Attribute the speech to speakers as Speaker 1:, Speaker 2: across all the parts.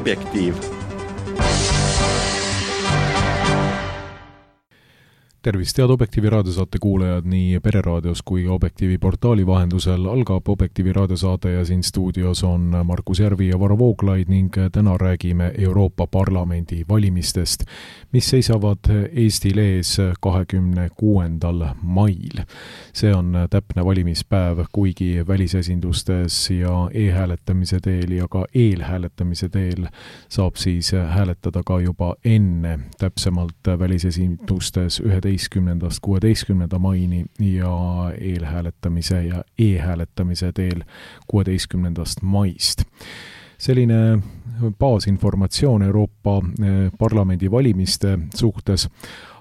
Speaker 1: Objektiiv.
Speaker 2: Tervist, head Objektiivi raadiosaate kuulajad nii Pereraadios kui Objektiivi portaali vahendusel. Algab Objektiivi raadiosaade ja siin stuudios on Markus Järvi ja Varro Vooglaid ning täna räägime Euroopa Parlamendi valimistest, mis seisavad Eestil ees 26. mail. See on täpne valimispäev, kuigi välisesindustes ja e-hääletamise teel ja ka eelhääletamise teel saab siis hääletada ka juba enne, täpsemalt välisesindustes 11.–16. maini ja eelhääletamise ja e-hääletamise teel 16. maist. Selline baasinformatsioon Euroopa Parlamendi valimiste suhtes,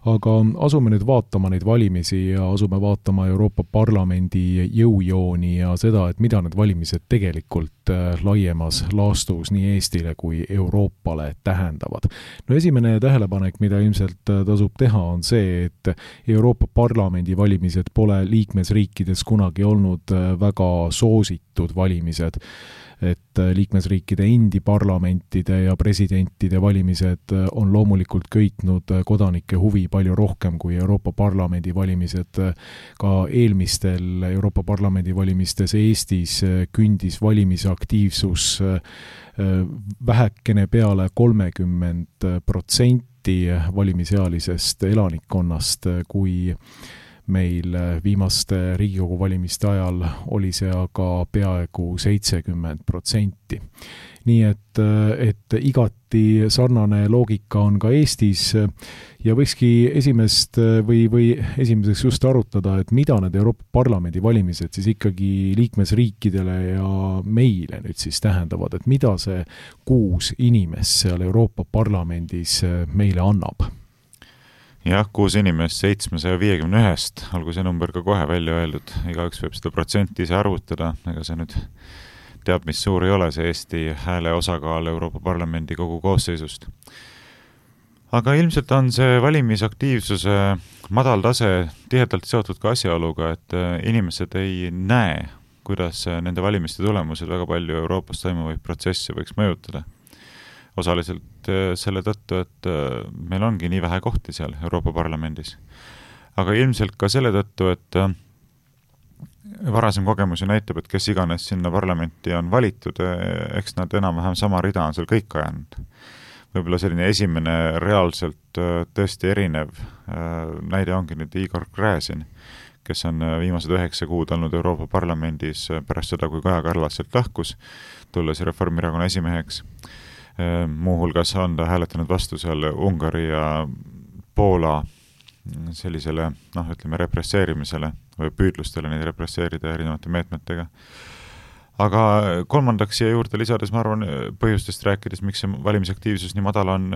Speaker 2: aga asume nüüd vaatama neid valimisi ja asume vaatama Euroopa Parlamendi jõujooni ja seda, et mida need valimised tegelikult laiemas laastus nii Eestile kui Euroopale tähendavad. No esimene tähelepanek, mida ilmselt tasub teha, on see, et Euroopa Parlamendi valimised pole liikmesriikides kunagi olnud väga soositud valimised, et liikmesriikide endi parlamentide ja presidentide valimised on loomulikult köitnud kodanike huvi palju rohkem kui Euroopa Parlamendi valimised. Ka eelmistel Euroopa Parlamendi valimistes Eestis kündis valimisaktiivsus vähekene peale 30% valimisealisest elanikkonnast, kui meil viimaste Riigikogu valimiste ajal oli see aga peaaegu 70%. Nii et igati sarnane loogika on ka Eestis ja võikski esimeseks just arutada, et mida need Euroopa Parlamendi valimised siis ikkagi liikmesriikidele ja meile nüüd siis tähendavad, et mida see 6 inimest seal Euroopa Parlamendis meile annab?
Speaker 3: Jah, 6 inimest 751, olgu see number ka kohe välja öeldud, igaüks võib seda protsenti ise arvutada, ega see nüüd teab, mis suur ei ole see Eesti hääle osakaal Euroopa Parlamendi kogu koosseisust. Aga ilmselt on see valimisaktiivsuse madal tase tihedalt seotud ka asjaoluga, et inimesed ei näe, kuidas nende valimiste tulemused väga palju Euroopas toimuvaid protsesse võiks mõjutada. Osaliselt selle tõttu, et meil ongi nii vähe kohti seal Euroopa Parlamendis. Aga ilmselt ka selle tõttu, et varasem kogemus ju näitab, et kes iganes sinna parlamenti on valitud, eks nad enam-vähem sama rida on seal kõik ajanud. Võib-olla selline esimene reaalselt tõesti erinev näide ongi nüüd Igor Gräzin, kes on viimased 9 kuud olnud Euroopa Parlamendis pärast seda, kui Kaja Kallas sealt lahkus, tulles Reformierakonna esimeheks. Muuhulgas on ta hääletanud vastu seal Ungari ja Poola sellisele, represseerimisele või püüdlustele neid represseerida erinevate meetmetega. Aga kolmandaks siia juurde lisades, ma arvan, põhjustest rääkides, miks see valimisaktiivsus nii madal on,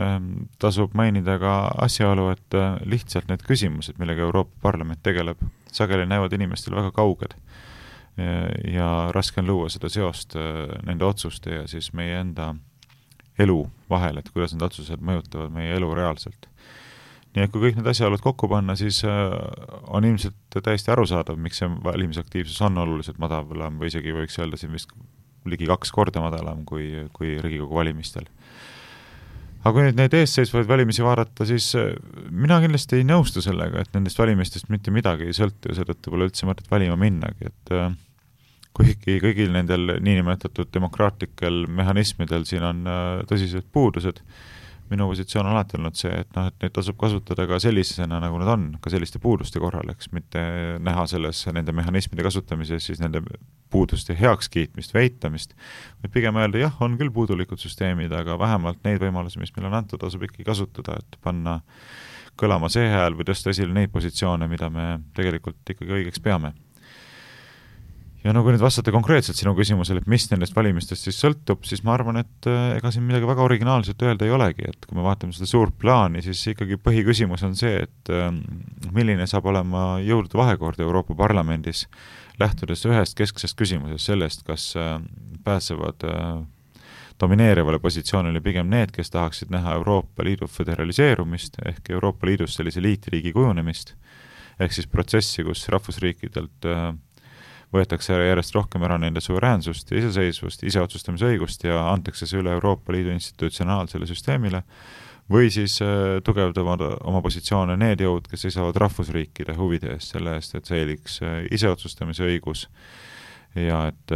Speaker 3: tasub mainida ka asjaolu, et lihtsalt need küsimused, millega Euroopa Parlament tegeleb, sageli näevad inimestel väga kauged ja raske on luua seda seost nende otsuste ja siis meie enda elu vahel, et kuidas need otsused mõjutavad meie elu reaalselt. Nii et kui kõik need asjaolud kokku panna, siis on ilmselt täiesti arusaadav, miks see valimisaktiivsus on oluliselt madalam või isegi võiks öelda siin vist ligi 2 korda madalam kui Riigikogu valimistel. Aga kui nüüd neid eesseisvaid valimisi vaadata, siis mina kindlasti ei nõustu sellega, et nendest valimistest mitte midagi ei sõltu ja seetõttu pole üldse mõtet valima minnagi, et kuigi kõigil nendel niinimetatud demokraatlikel mehhanismidel siin on tõsised puudused, minu positsioon on alati olnud see, et neid tasub kasutada ka sellisena, nagu nad on, ka selliste puuduste korral, eks mitte näha selles nende mehhanismide kasutamises siis nende puuduste heakskiitmist, veitamist, või pigem öelda, jah, on küll puudulikud süsteemid, aga vähemalt neid võimalusi, mis meil on antud, tasub ikkagi kasutada, et panna kõlama see hääl või tõsta esile neid positsioone, mida me tegelikult ikkagi õigeks peame. Ja kui nüüd vastata konkreetselt sinu küsimusele, et mis nendest valimistest siis sõltub, siis ma arvan, et ega siin midagi väga originaalselt öelda ei olegi, et kui me vaatame seda suurt plaani, siis ikkagi põhiküsimus on see, et milline saab olema jõudude vahekord Euroopa Parlamendis, lähtudes ühest kesksest küsimusest sellest, kas pääsevad domineerivale positsioonile pigem need, kes tahaksid näha Euroopa Liidu föderaliseerumist ehk Euroopa Liidus sellise liitriigi kujunemist, ehk siis protsessi, kus rahvusriikidelt võetakse järjest rohkem ära nende suveräänsust ja iseseisvust, iseotsustamise õigust ja antakse see üle Euroopa Liidu institutsionaalsele süsteemile, või siis tugevdavad oma positsioone need jõud, kes seisavad rahvusriikide huvide eest, selle eest, et säiliks iseotsustamise õigus ja et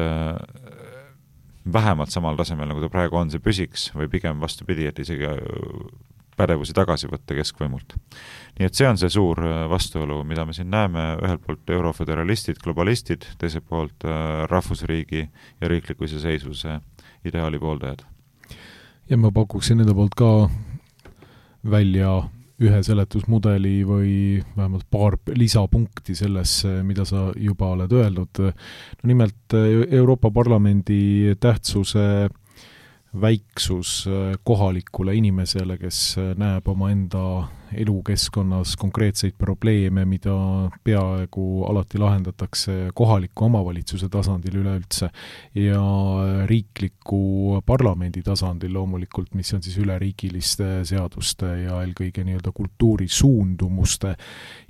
Speaker 3: vähemalt samal tasemel, nagu ta praegu on, see püsiks või pigem vastupidi, et isegi pädevusi tagasi võtta keskvõimult. Nii et see on see suur vastuolu, mida me siin näeme, ühelt poolt euroföderalistid, globalistid, teiselt poolt rahvusriigi ja riikliku iseseisvuse ideaali pooldajad. Ja
Speaker 2: ma pakuksin nende poolt ka välja ühe seletusmudeli või vähemalt paar lisapunkti sellesse, mida sa juba oled öelnud. No nimelt Euroopa Parlamendi tähtsuse väiksus kohalikule inimesele, kes näeb oma enda elukeskkonnas konkreetseid probleeme, mida peaaegu alati lahendatakse kohaliku omavalitsuse tasandil üleüldse ja riikliku parlamendi tasandil loomulikult, mis on siis üleriigiliste seaduste ja eelkõige nii-öelda kultuurisuundumuste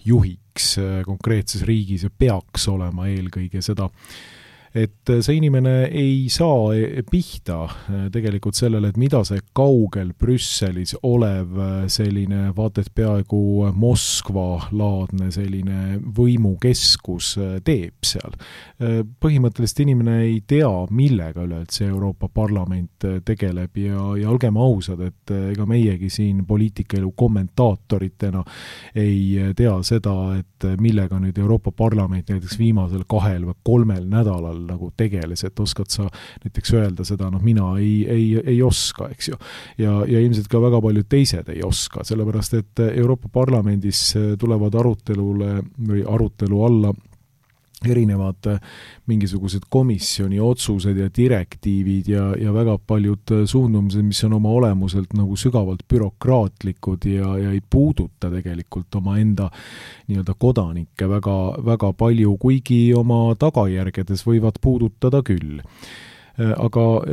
Speaker 2: juhiks konkreetses riigis ja peaks olema eelkõige seda, et see inimene ei saa pihta tegelikult sellele, et mida see kaugel Brüsselis olev selline vaated peaaegu Moskva-laadne selline võimukeskus teeb seal. Põhimõtteliselt inimene ei tea, millega üleüldse Euroopa Parlament tegeleb ja olgem ausad, et ega meiegi siin poliitikaelu kommentaatoritena ei tea seda, et millega nüüd Euroopa Parlament näiteks viimasel 2 või 3 nädalal nagu tegeles, et oskad sa näiteks öelda seda, mina ei oska, eks ju. Ja ilmselt ka väga paljud teised ei oska, sellepärast et Euroopa Parlamendis tulevad arutelu alla erinevad mingisugused komisjoni otsused ja direktiivid ja väga paljud suundumused, mis on oma olemuselt nagu sügavalt bürokraatlikud ja ei puuduta tegelikult oma enda nii-öelda kodanikke väga, väga palju, kuigi oma tagajärgedes võivad puudutada küll. Aga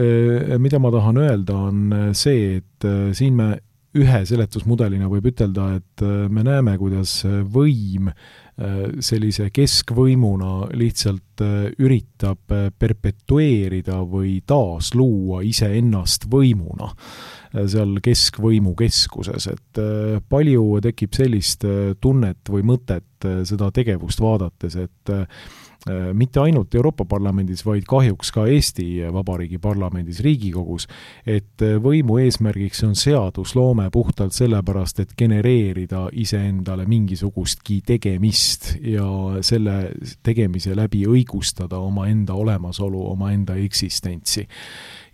Speaker 2: mida ma tahan öelda on see, et siin me ühe seletusmudelina võib ütelda, et me näeme, kuidas võim sellise keskvõimuna lihtsalt üritab perpetueerida või taasluua iseennast võimuna seal keskvõimu keskuses, et palju tekib sellist tunnet või mõtet seda tegevust vaadates, et mitte ainult Euroopa Parlamendis, vaid kahjuks ka Eesti Vabariigi parlamendis, Riigikogus, et võimu eesmärgiks on seadusloome puhtalt sellepärast, et genereerida iseendale mingisugustki tegemist ja selle tegemise läbi õigustada oma enda olemasolu, oma enda eksistentsi.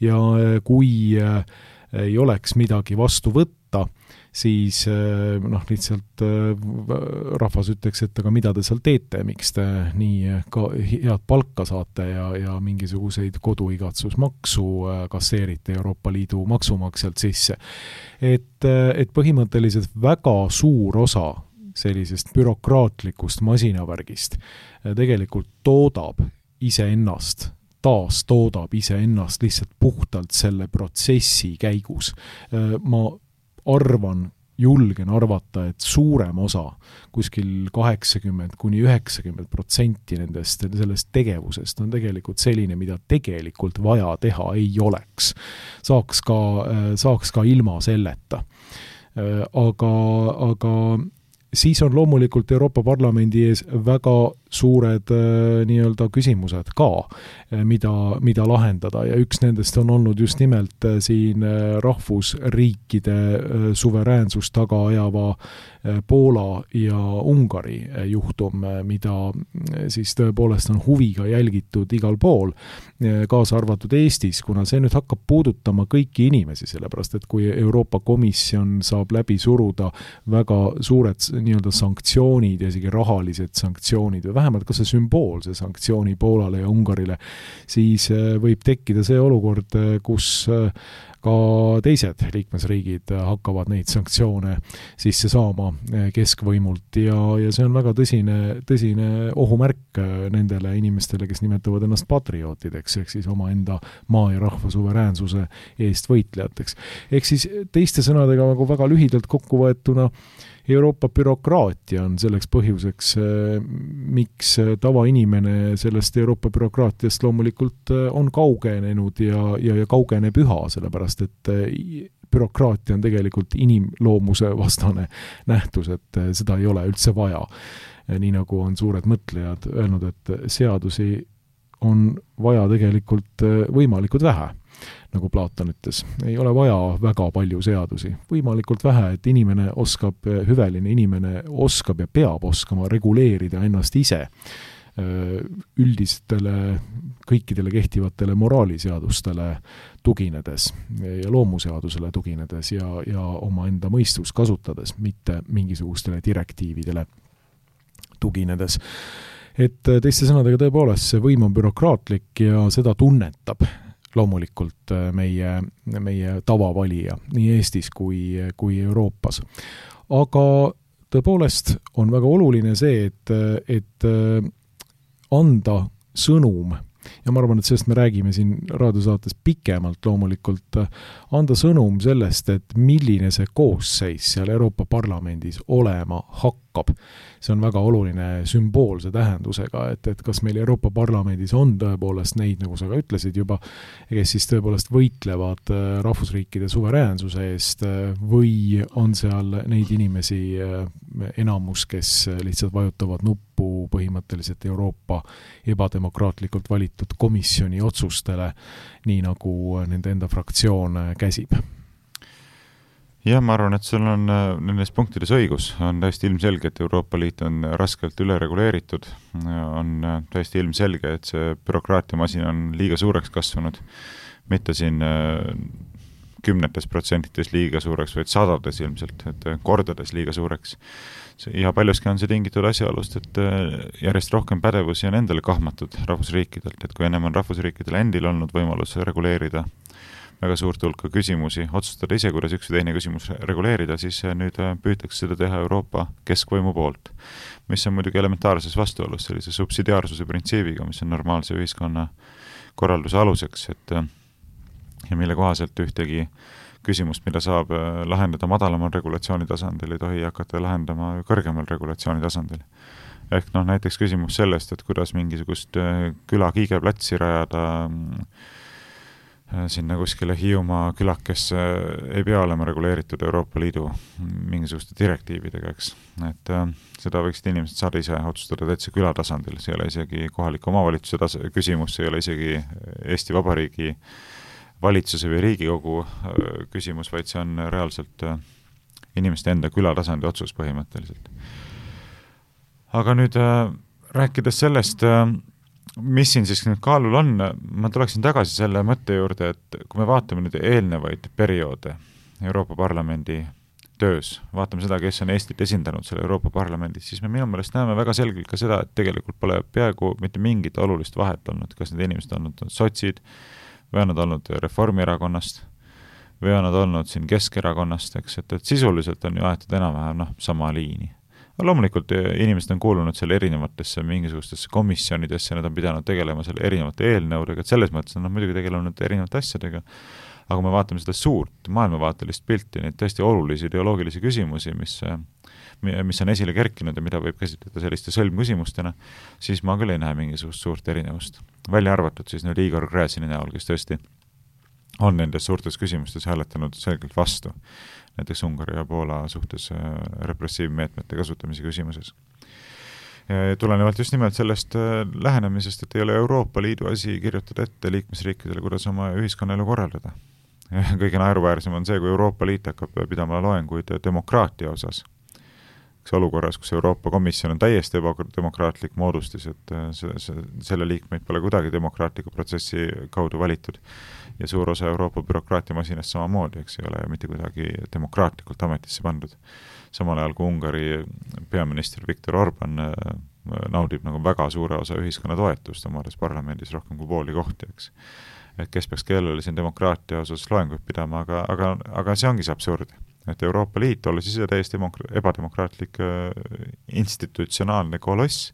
Speaker 2: Ja kui ei oleks midagi vastu võtta, siis lihtsalt rahvas ütleks, et aga mida te seal teete, miks te nii ka head palka saate ja mingisuguseid koduigatsusmaksu kasseerite Euroopa Liidu maksumaksjalt sisse. Et põhimõtteliselt väga suur osa sellisest bürokraatlikust masinavärgist tegelikult toodab iseennast lihtsalt puhtalt selle protsessi käigus. Ma julgen arvata, et suurem osa, kuskil 80–90% nendest sellest tegevusest on tegelikult selline, mida tegelikult vaja teha ei oleks. Saaks ka ilma selleta. Aga siis on loomulikult Euroopa Parlamendi ees väga suured nii-öelda küsimused ka, mida lahendada ja üks nendest on olnud just nimelt siin rahvusriikide suveräänsust taga ajava Poola ja Ungari juhtum, mida siis tõepoolest on huviga jälgitud igal pool, kaasa arvatud Eestis, kuna see nüüd hakkab puudutama kõiki inimesi, sellepärast et kui Euroopa Komisjon saab läbi suruda väga suured nii-öelda sanktsioonid ja isegi rahalised sanktsioonid või vähemalt ka see sümboolse sanktsiooni Poolale ja Ungarile, siis võib tekkida see olukord, kus ka teised liikmesriigid hakkavad neid sanktsioone sisse saama keskvõimult ja see on väga tõsine ohumärk nendele inimestele, kes nimetavad ennast patriootideks, ehk siis omaenda maa ja rahva suveräänsuse eest võitlejateks. Ehk siis teiste sõnadega nagu väga lühidalt kokku võetuna Euroopa bürokraatia on selleks põhjuseks, miks tavainimene sellest Euroopa bürokraatiast loomulikult on kaugenenud ja kaugeneb üha, sellepärast et bürokraatia on tegelikult inimloomuse vastane nähtus, et seda ei ole üldse vaja. Nii nagu on suured mõtlejad öelnud, et seadusi on vaja tegelikult võimalikult vähe, nagu Platon ütles. Ei ole vaja väga palju seadusi, võimalikult vähe, et inimene oskab, hüveline inimene oskab ja peab oskama reguleerida ennast ise üldistele, kõikidele kehtivatele moraaliseadustele tuginedes ja loomuseadusele tuginedes ja oma enda mõistust kasutades, mitte mingisugustele direktiividele tuginedes. Et teiste sõnadega tõepoolest see võim on bürokraatlik ja seda tunnetab loomulikult meie tavavalija nii Eestis kui Euroopas. Aga tõepoolest on väga oluline see, et anda sõnum, ja ma arvan, et sellest me räägime siin raadiosaates pikemalt loomulikult, anda sõnum sellest, et milline see koosseis seal Euroopa Parlamendis olema hakkab. See on väga oluline sümboolse tähendusega, et kas meil Euroopa Parlamendis on tõepoolest neid, nagu sa ka ütlesid juba, kes siis tõepoolest võitlevad rahvusriikide suveräänsuse eest või on seal neid inimesi enamus, kes lihtsalt vajutavad nuppu põhimõtteliselt Euroopa ebademokraatlikult valitud komisjoni otsustele, nii nagu nende enda fraktsioon käsib.
Speaker 3: Jah, ma arvan, et sul on nendes punktides õigus. On täiesti ilmselge, et Euroopa Liit on raskelt ülereguleeritud. On täiesti ilmselge, et see bürokraatiamasin on liiga suureks kasvanud. Mitte siin 10% liiga suureks, vaid 100 ilmselt, et kordades liiga suureks. Ja paljuski on see tingitud asjaolust, et järjest rohkem pädevusi on endale kahmatud rahvusriikidelt, et kui ennem on rahvusriikidel endil olnud võimalus reguleerida väga suurt hulka küsimusi, otsustada ise, kuidas üks või teine küsimus reguleerida, siis nüüd püütakse seda teha Euroopa keskvõimu poolt, mis on muidugi elementaarses vastuolus sellise subsidiaarsuse printsiibiga, mis on normaalse ühiskonna korralduse aluseks, ja mille kohaselt ühtegi küsimust, mida saab lahendada madalamal regulatsiooni tasandil, ei tohi hakata lahendama kõrgemal regulatsiooni tasandil. Ehk näiteks küsimus sellest, et kuidas mingisugust küla kiigeplatsi rajada sinna kuskile Hiiumaa külakesse ei pea olema reguleeritud Euroopa Liidu mingisuguste direktiividega, eks. Et seda võiksid inimesed saada ise otsustada täitsa küla tasandil, see ei ole isegi kohaliku omavalitsuse küsimus, see ei ole isegi Eesti Vabariigi valitsuse või Riigikogu küsimus, vaid see on reaalselt inimeste enda küla tasandi otsus põhimõtteliselt. Aga nüüd rääkides sellest, mis siin siis nüüd kaalul on, ma tuleksin tagasi selle mõtte juurde, et kui me vaatame nüüd eelnevaid perioode Euroopa Parlamendi töös, vaatame seda, kes on Eestit esindanud selle Euroopa Parlamendis, siis me minu meelest näeme väga selgelt ka seda, et tegelikult pole peaaegu mitte mingit olulist vahet olnud, kas need inimesed on olnud sotsid, või on nad olnud Reformierakonnast, või on nad olnud siin Keskerakonnast, eks, et sisuliselt on ju aetud enam-vähem sama liini. Loomulikult inimesed on kuulunud selle erinevatesse mingisugustesse komisjonidesse, nad on pidanud tegelema selle erinevate eelnõudega, et selles mõttes on nad muidugi tegelenud erinevate asjadega, aga me vaatame seda suurt maailmavaatelist pilti, neid tõesti olulisi ideoloogilisi küsimusi, mis on esile kerkinud ja mida võib käsitleda selliste sõlmküsimustena, siis ma küll ei näe mingisugust suurt erinevust. Välja arvatud siis nüüd Igor Gräzini näol, kes tõesti on nendes suurtes küsimustes hääletanud selgelt vastu, näiteks Ungari ja Poola suhtes repressiivmeetmete kasutamise küsimuses. Tulenevalt just nimelt sellest lähenemisest, et ei ole Euroopa Liidu asi kirjutada ette liikmesriikidele, kuidas oma ühiskonnaelu korraldada. Kõige naeruväärsem on see, kui Euroopa Liit hakkab pidama loenguid demokraatia osas. Olukorras, kus Euroopa Komisjon on täiesti ebademokraatlik moodustis, et selle liikmeid pole kuidagi demokraatliku protsessi kaudu valitud ja suur osa Euroopa bürokraatiamasinast samamoodi, eks ei ole mitte kuidagi demokraatlikult ametisse pandud. Samal ajal kui Ungari peaminister Viktor Orban naudib nagu väga suure osa ühiskonna toetust omades parlamendis rohkem kui pooli kohti, eks. Et kes peaks kellele siin demokraatia osas loenguid pidama, aga see ongi see absurd. Et Euroopa Liit olles ise täiesti ebademokraatlik institutsionaalne koloss,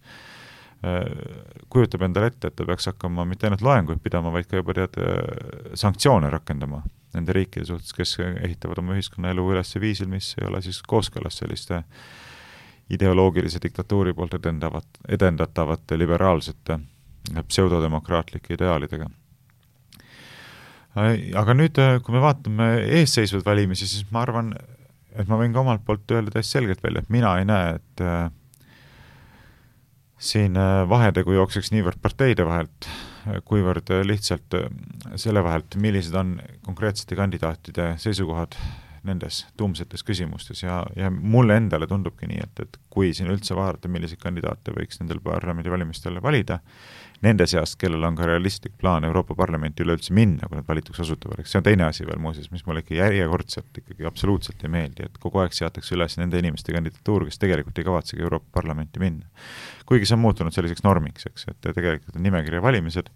Speaker 3: kujutab endale ette, et ta peaks hakkama mitte ainult loenguid pidama, vaid ka juba sanktsioone rakendama nende riikide suhtes, kes ehitavad oma ühiskonnaelu üles viisil, mis ei ole siis kooskõlas selliste ideoloogilise diktatuuri poolt edendatavate liberaalsete pseudodemokraatlike ideaalidega. Aga nüüd, kui me vaatame eesseisvad valimisi, siis ma arvan, et ma võin ka omalt poolt öelda täiesti selgelt välja, et mina ei näe, et siin vahetegu jookseks niivõrd parteide vahelt, kuivõrd lihtsalt selle vahelt, millised on konkreetsete kandidaatide seisukohad nendes tuumsetes küsimustes ja mulle endale tundubki nii, et kui siin üldse vaadata, milliseid kandidaate võiks nendel parlamendivalimistel valida, nende seast, kellel on ka realistlik plaan Euroopa Parlamenti üleüldse minna, kui nad valituks osutuvad. See on teine asi veel muuseas, mis mulle ikka järjekordselt ikkagi absoluutselt ei meeldi, et kogu aeg seatakse üles nende inimeste kandidatuur, kes tegelikult ei kavatsegi Euroopa Parlamenti minna. Kuigi see on muutunud selliseks normiks, eks, et tegelikult on nimekirja valimised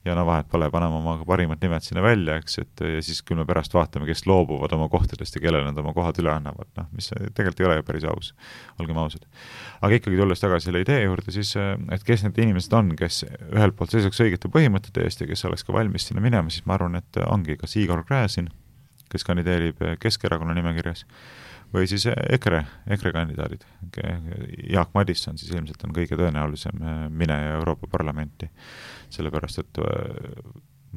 Speaker 3: ja vahet pole, paneme oma parimad nimed sinna välja, eks, et ja siis küll me pärast vaatame, kes loobuvad oma kohtadest ja kellele nad oma kohad üle annavad, mis tegelikult ei ole ju päris aus, olgem ausad. Aga ikkagi tulles tagasi selle idee juurde, siis, et kes need inimesed on, kes ühelt poolt seisaks õigete põhimõtete eest ja kes oleks ka valmis sinna minema, siis ma arvan, et ongi kas Igor Gräzin, kes kandideerib Keskerakonna nimekirjas, või siis EKRE kandidaadid. Jaak Madisson siis ilmselt on kõige tõenäolisem mineja Euroopa Parlamenti, sellepärast, et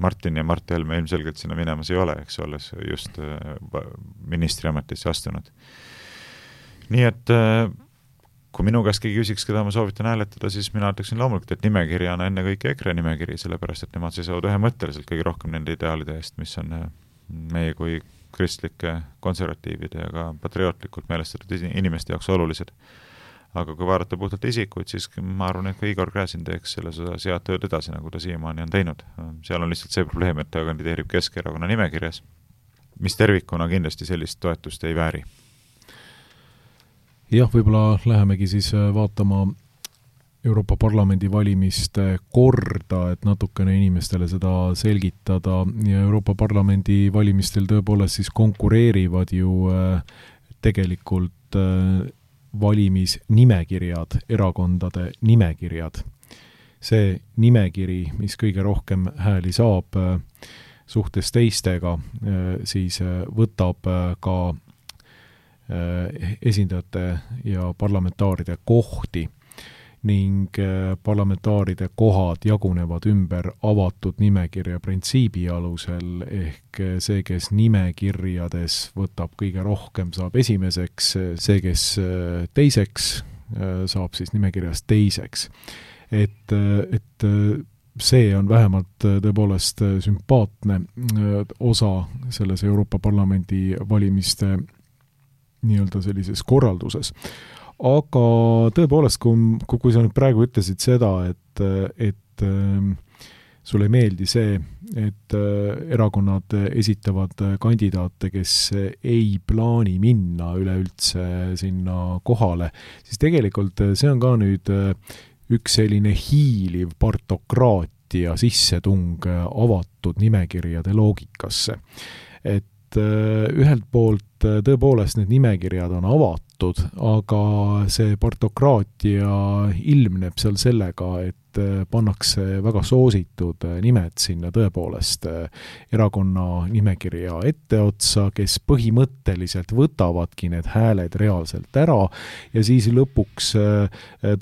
Speaker 3: Martin ja Mart Helme ilmselgelt sinna minemas ei ole, eks olles just ministriametisse astunud. Nii et kui minu käest keegi küsiks, keda ma soovitan hääletada, siis mina ütleksin loomulikult, et nimekirja on enne kõik EKRE nimekiri, sellepärast, et nemad seisavad ühemõtteliselt kõige rohkem nende ideaalide eest, mis on meie kui kristlike, konservatiivide ja ka patriootlikult meelestatud inimeste jaoks olulised. Aga kui vaadata puhtalt isikuid, siis ma arvan, et ka Igor Gräzin teeks selles osas head tööd edasi, nagu ta siiamaani on teinud. Seal on lihtsalt see probleem, et ta kandideerib Keskerakonna nimekirjas, mis tervikuna kindlasti sellist toetust ei vääri.
Speaker 2: Jah, võib-olla lähemegi siis vaatama Euroopa Parlamendi valimiste korda, et natukene inimestele seda selgitada ja Euroopa Parlamendi valimistel tõepoolest siis konkureerivad ju tegelikult valimisnimekirjad, erakondade nimekirjad. See nimekiri, mis kõige rohkem hääli saab suhtes teistega, siis võtab ka esindajate ja parlamentaaride kohti ning parlamentaaride kohad jagunevad ümber avatud nimekirja printsiibi alusel, ehk see, kes nimekirjades võtab kõige rohkem, saab esimeseks, see, kes teiseks, saab siis nimekirjas teiseks. Et see on vähemalt tõepoolest sümpaatne osa selles Euroopa Parlamendi valimiste nii-öelda sellises korralduses. Aga tõepoolest, kui sa nüüd praegu ütlesid seda, et sulle ei meeldi see, et erakonnad esitavad kandidaate, kes ei plaani minna üleüldse sinna kohale, siis tegelikult see on ka nüüd üks selline hiiliv partokraatia sissetung avatud nimekirjade loogikasse. Et ühelt poolt tõepoolest need nimekirjad on avatud, aga see partokraatia ilmneb seal sellega, et pannakse väga soositud nimed sinna tõepoolest erakonna nimekirja etteotsa, kes põhimõtteliselt võtavadki need hääled reaalselt ära ja siis lõpuks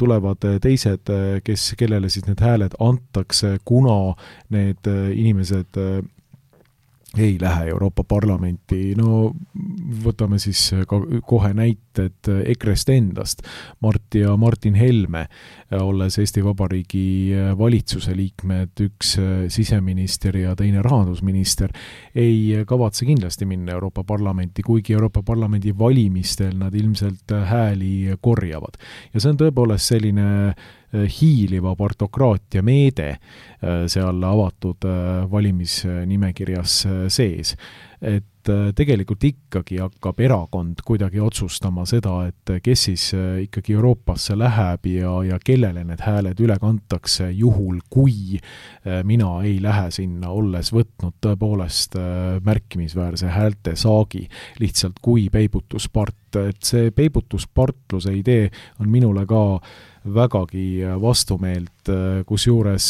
Speaker 2: tulevad teised, kellele siis need hääled antakse, kuna need inimesed ei lähe Euroopa Parlamenti. No võtame siis kohe näited EKRE-st endast. Mart ja Martin Helme, olles Eesti Vabariigi valitsuse liikmed, üks siseminister ja teine rahandusminister, ei kavatse kindlasti minna Euroopa Parlamenti, kuigi Euroopa Parlamendi valimistel nad ilmselt hääli korjavad. Ja see on tõepoolest selline hiiliva partokraatia meede seal avatud valimisnimekirjas sees. Et tegelikult ikkagi hakkab erakond kuidagi otsustama seda, et kes siis ikkagi Euroopasse läheb ja kellele need hääled üle kantakse, juhul kui mina ei lähe sinna, olles võtnud tõepoolest märkimisväärse häälte saagi lihtsalt kui peibutuspart. Et see peibutuspartluse idee on minule ka vägagi vastumeelt, kusjuures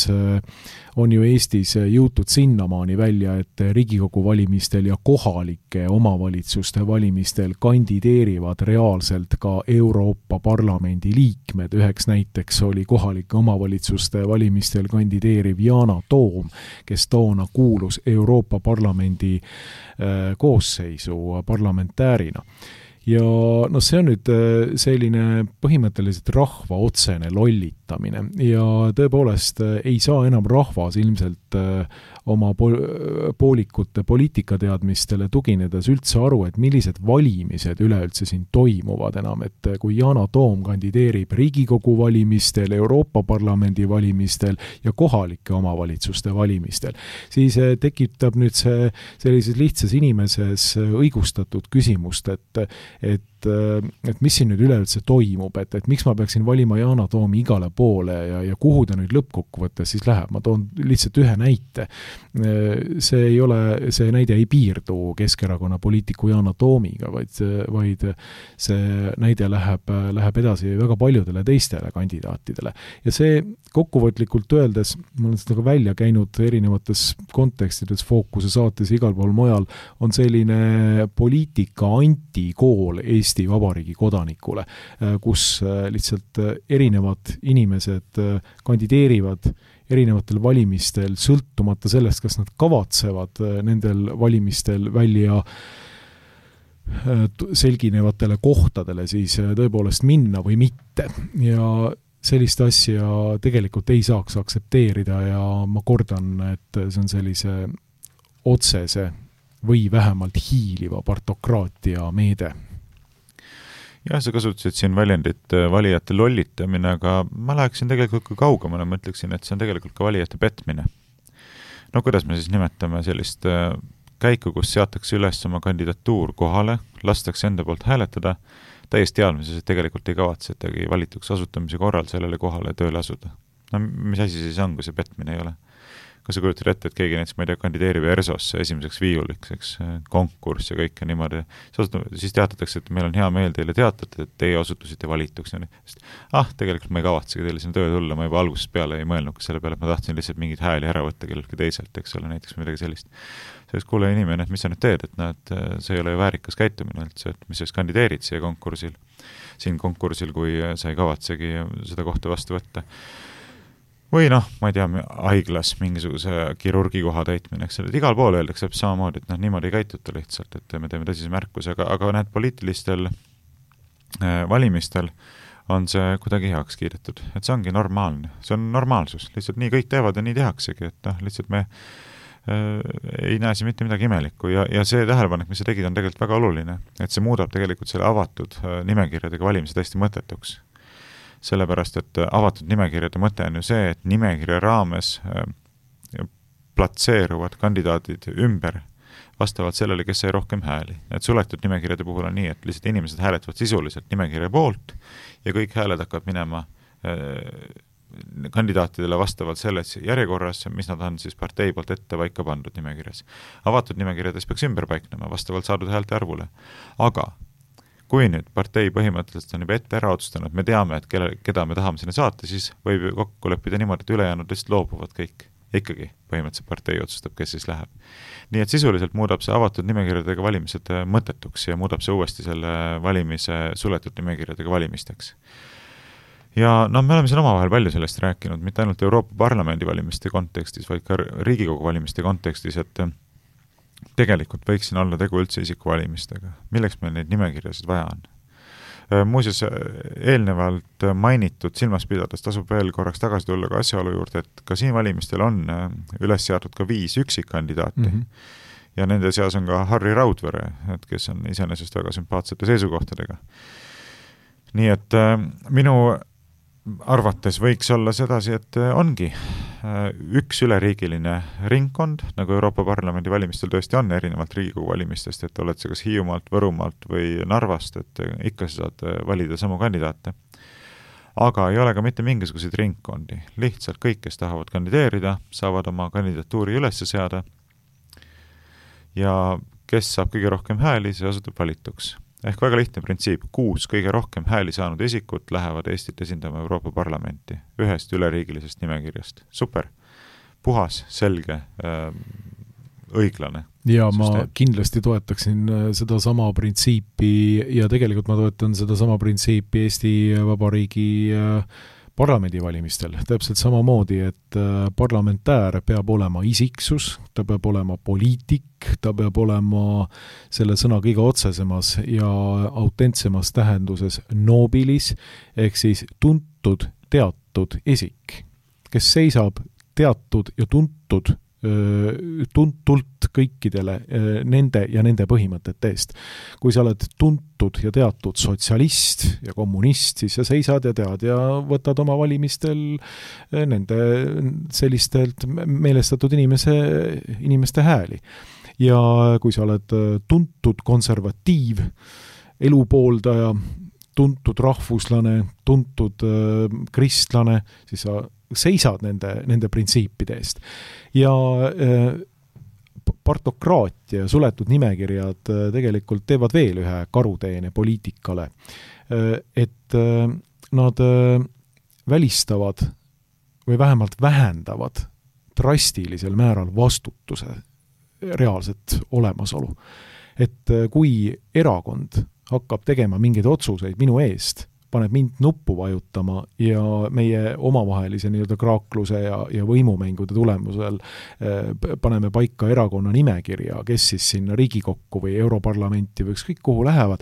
Speaker 2: on ju Eestis jõutud sinnamaani välja, et Riigikogu valimistel ja kohalike omavalitsuste valimistel kandideerivad reaalselt ka Euroopa Parlamendi liikmed. Üheks näiteks oli kohalike omavalitsuste valimistel kandideeriv Yana Toom, kes toona kuulus Euroopa Parlamendi koosseisu parlamentäärina. Ja no see on nüüd selline põhimõtteliselt rahva otsene lollitamine ja tõepoolest ei saa enam rahvas ilmselt oma poolikute poliitikateadmistele tuginedes üldse aru, et millised valimised üleüldse siin toimuvad enam, et kui Yana Toom kandideerib Riigikogu valimistel, Euroopa Parlamendi valimistel ja kohalike omavalitsuste valimistel, siis tekitab nüüd see sellises lihtsas inimeses õigustatud küsimust, et mis siin nüüd üleüldse toimub, et miks ma peaksin valima Yana Toomi igale poole ja kuhu ta nüüd lõppkokkuvõttes siis läheb. Ma toon lihtsalt ühe näite. See näide ei piirdu Keskerakonna poliitiku Yana Toomiga, vaid see näide läheb edasi väga paljudele teistele kandidaatidele. Ja see kokkuvõtlikult öeldes, ma olen seda ka välja käinud erinevates kontekstides, Fookuse saates igal pool mujal, on selline poliitika antikool Eesti Vabariigi kodanikule, kus lihtsalt erinevad inimesed kandideerivad erinevatel valimistel, sõltumata sellest, kas nad kavatsevad nendel valimistel välja selginevatele kohtadele siis tõepoolest minna või mitte. Ja sellist asja tegelikult ei saaks aktsepteerida ja ma kordan, et see on sellise otsese või vähemalt hiiliva partokraatia meede.
Speaker 3: Jah, sa kasutasid siin väljendit valijate lollitamine, aga ma läheksin tegelikult ka kaugemale, ma ütleksin, et see on tegelikult ka valijate petmine. No kuidas me siis nimetame sellist käiku, kus seatakse üles oma kandidatuur kohale, lastakse enda poolt hääletada, täiesti teadmises, et tegelikult ei kavatsetagi valituks asutamise korral sellele kohale tööle asuda. No mis asi siis on, kui see petmine ei ole? Kas sa kujutad ette, et keegi näiteks, ma ei tea, kandideerib ERSOsse esimeseks viiuliks, konkurss ja kõik niimoodi. Siis teatatakse, et meil on hea meel teile teatada, et teie osutusite valituks. Tegelikult ma ei kavatsegi teile sinna töö tulla, ma juba algusest peale ei mõelnud selle peale, et ma tahtsin lihtsalt mingid hääli ära võtta kellelgi teiselt, eks ole, näiteks midagi sellist. Sellest kuule inimene, et mis sa nüüd teed, et see ei ole ju väärikas käitumine üldse, et mis sa kandideerid siin konkursil, kui sa ei kavatsegi seda kohta vastu võtta. Või ma ei tea, haiglas mingisuguse kirurgi koha täitmine, eks selle, et igal pool öeldakse samamoodi, et niimoodi ei käituta lihtsalt, et me teeme tõsise märkuse, aga need poliitilistel valimistel on see kuidagi heaks kiidetud, et see ongi normaalne, see on normaalsus, lihtsalt nii kõik teevad ja nii tehaksegi, et lihtsalt me ei näe siin mitte midagi imelikku ja see tähelepanek, mis sa tegid, on tegelikult väga oluline, et see muudab tegelikult selle avatud nimekirjadega valimise täiesti mõttetuks. Sellepärast, et avatud nimekirjade mõte on ju see, et nimekirja raames platseeruvad kandidaadid ümber vastavalt sellele, kes sai rohkem hääli. Et suletud nimekirjade puhul on nii, et lihtsalt inimesed hääletavad sisuliselt nimekirja poolt ja kõik hääled hakkavad minema kandidaatidele vastavalt selles järjekorras, mis nad on siis partei poolt ette paika pandud nimekirjas. Avatud nimekirjades peaks ümber paiknema vastavalt saadud häälte arvule. Aga kui nüüd partei põhimõtteliselt on juba ette ära otsustanud, me teame, et keda me tahame sinna saata, siis võib kokku leppida niimoodi, et ülejäänud lihtsalt loobuvad kõik. Ikkagi põhimõtteliselt partei otsustab, kes siis läheb. Nii et sisuliselt muudab see avatud nimekirjadega valimised mõttetuks ja muudab see uuesti selle valimise suletud nimekirjadega valimisteks. Ja me oleme siin omavahel palju sellest rääkinud, mitte ainult Euroopa Parlamendi valimiste kontekstis, vaid ka Riigikogu valimiste kontekstis, et tegelikult võiksin olla tegu üldse isikuvalimistega. Milleks meil neid nimekirjasid vaja on? Muuseas, eelnevalt mainitud silmas pidades tasub veel korraks tagasi tulla ka asjaolu juurde, et ka siin valimistel on üles seatud ka 5 üksikkandidaati. Ja nende seas on ka Harri Raudvere, kes on iseenesest väga sümpaatsete seisukohtadega. Nii et minu arvates võiks olla sedasi, et ongi üks üleriigiline ringkond, nagu Euroopa Parlamendi valimistel tõesti on, erinevalt Riigikogu valimistest, et oled sa kas Hiiumaalt, Võrumaalt või Narvast, et ikka sa saad valida samu kandidaate. Aga ei ole ka mitte mingisuguseid ringkondi. Lihtsalt kõik, kes tahavad kandideerida, saavad oma kandidatuuri üles seada ja kes saab kõige rohkem hääli, see osutub valituks. Ehk väga lihtne printsiip, 6 kõige rohkem hääli saanud isikut lähevad Eestit esindama Euroopa Parlamenti ühest üleriigilisest nimekirjast. Super, puhas, selge, õiglane.
Speaker 2: Ja ma kindlasti toetaksin seda sama printsiipi ja tegelikult ma toetan seda sama printsiipi Eesti Vabariigi parlamendivalimistel. Täpselt samamoodi, et parlamentäär peab olema isiksus, ta peab olema poliitik, ta peab olema selle sõna kõige otsesemas ja autentsemas tähenduses nobilis, ehk siis tuntud, teatud isik, kes seisab teatud ja tuntult kõikidele nende ja nende põhimõtete eest. Kui sa oled tuntud ja teatud sotsialist ja kommunist, siis sa seisad ja tead ja võtad oma valimistel nende sellistelt meelestatud inimeste hääli. Ja kui sa oled tuntud konservatiiv, elupooldaja, tuntud rahvuslane, tuntud kristlane, siis sa seisad nende printsiipide eest. Ja partokraatia ja suletud nimekirjad tegelikult teevad veel ühe karuteene poliitikale, et nad välistavad või vähemalt vähendavad drastilisel määral vastutuse reaalset olemasolu. Et kui erakond hakkab tegema mingeid otsuseid minu eest, paneb mind nuppu vajutama ja meie omavahelise nii-öelda kraakluse ja võimumängude tulemusel paneme paika erakonna nimekirja, kes siis sinna Riigikokku või Europarlamenti või ükskõik kuhu lähevad,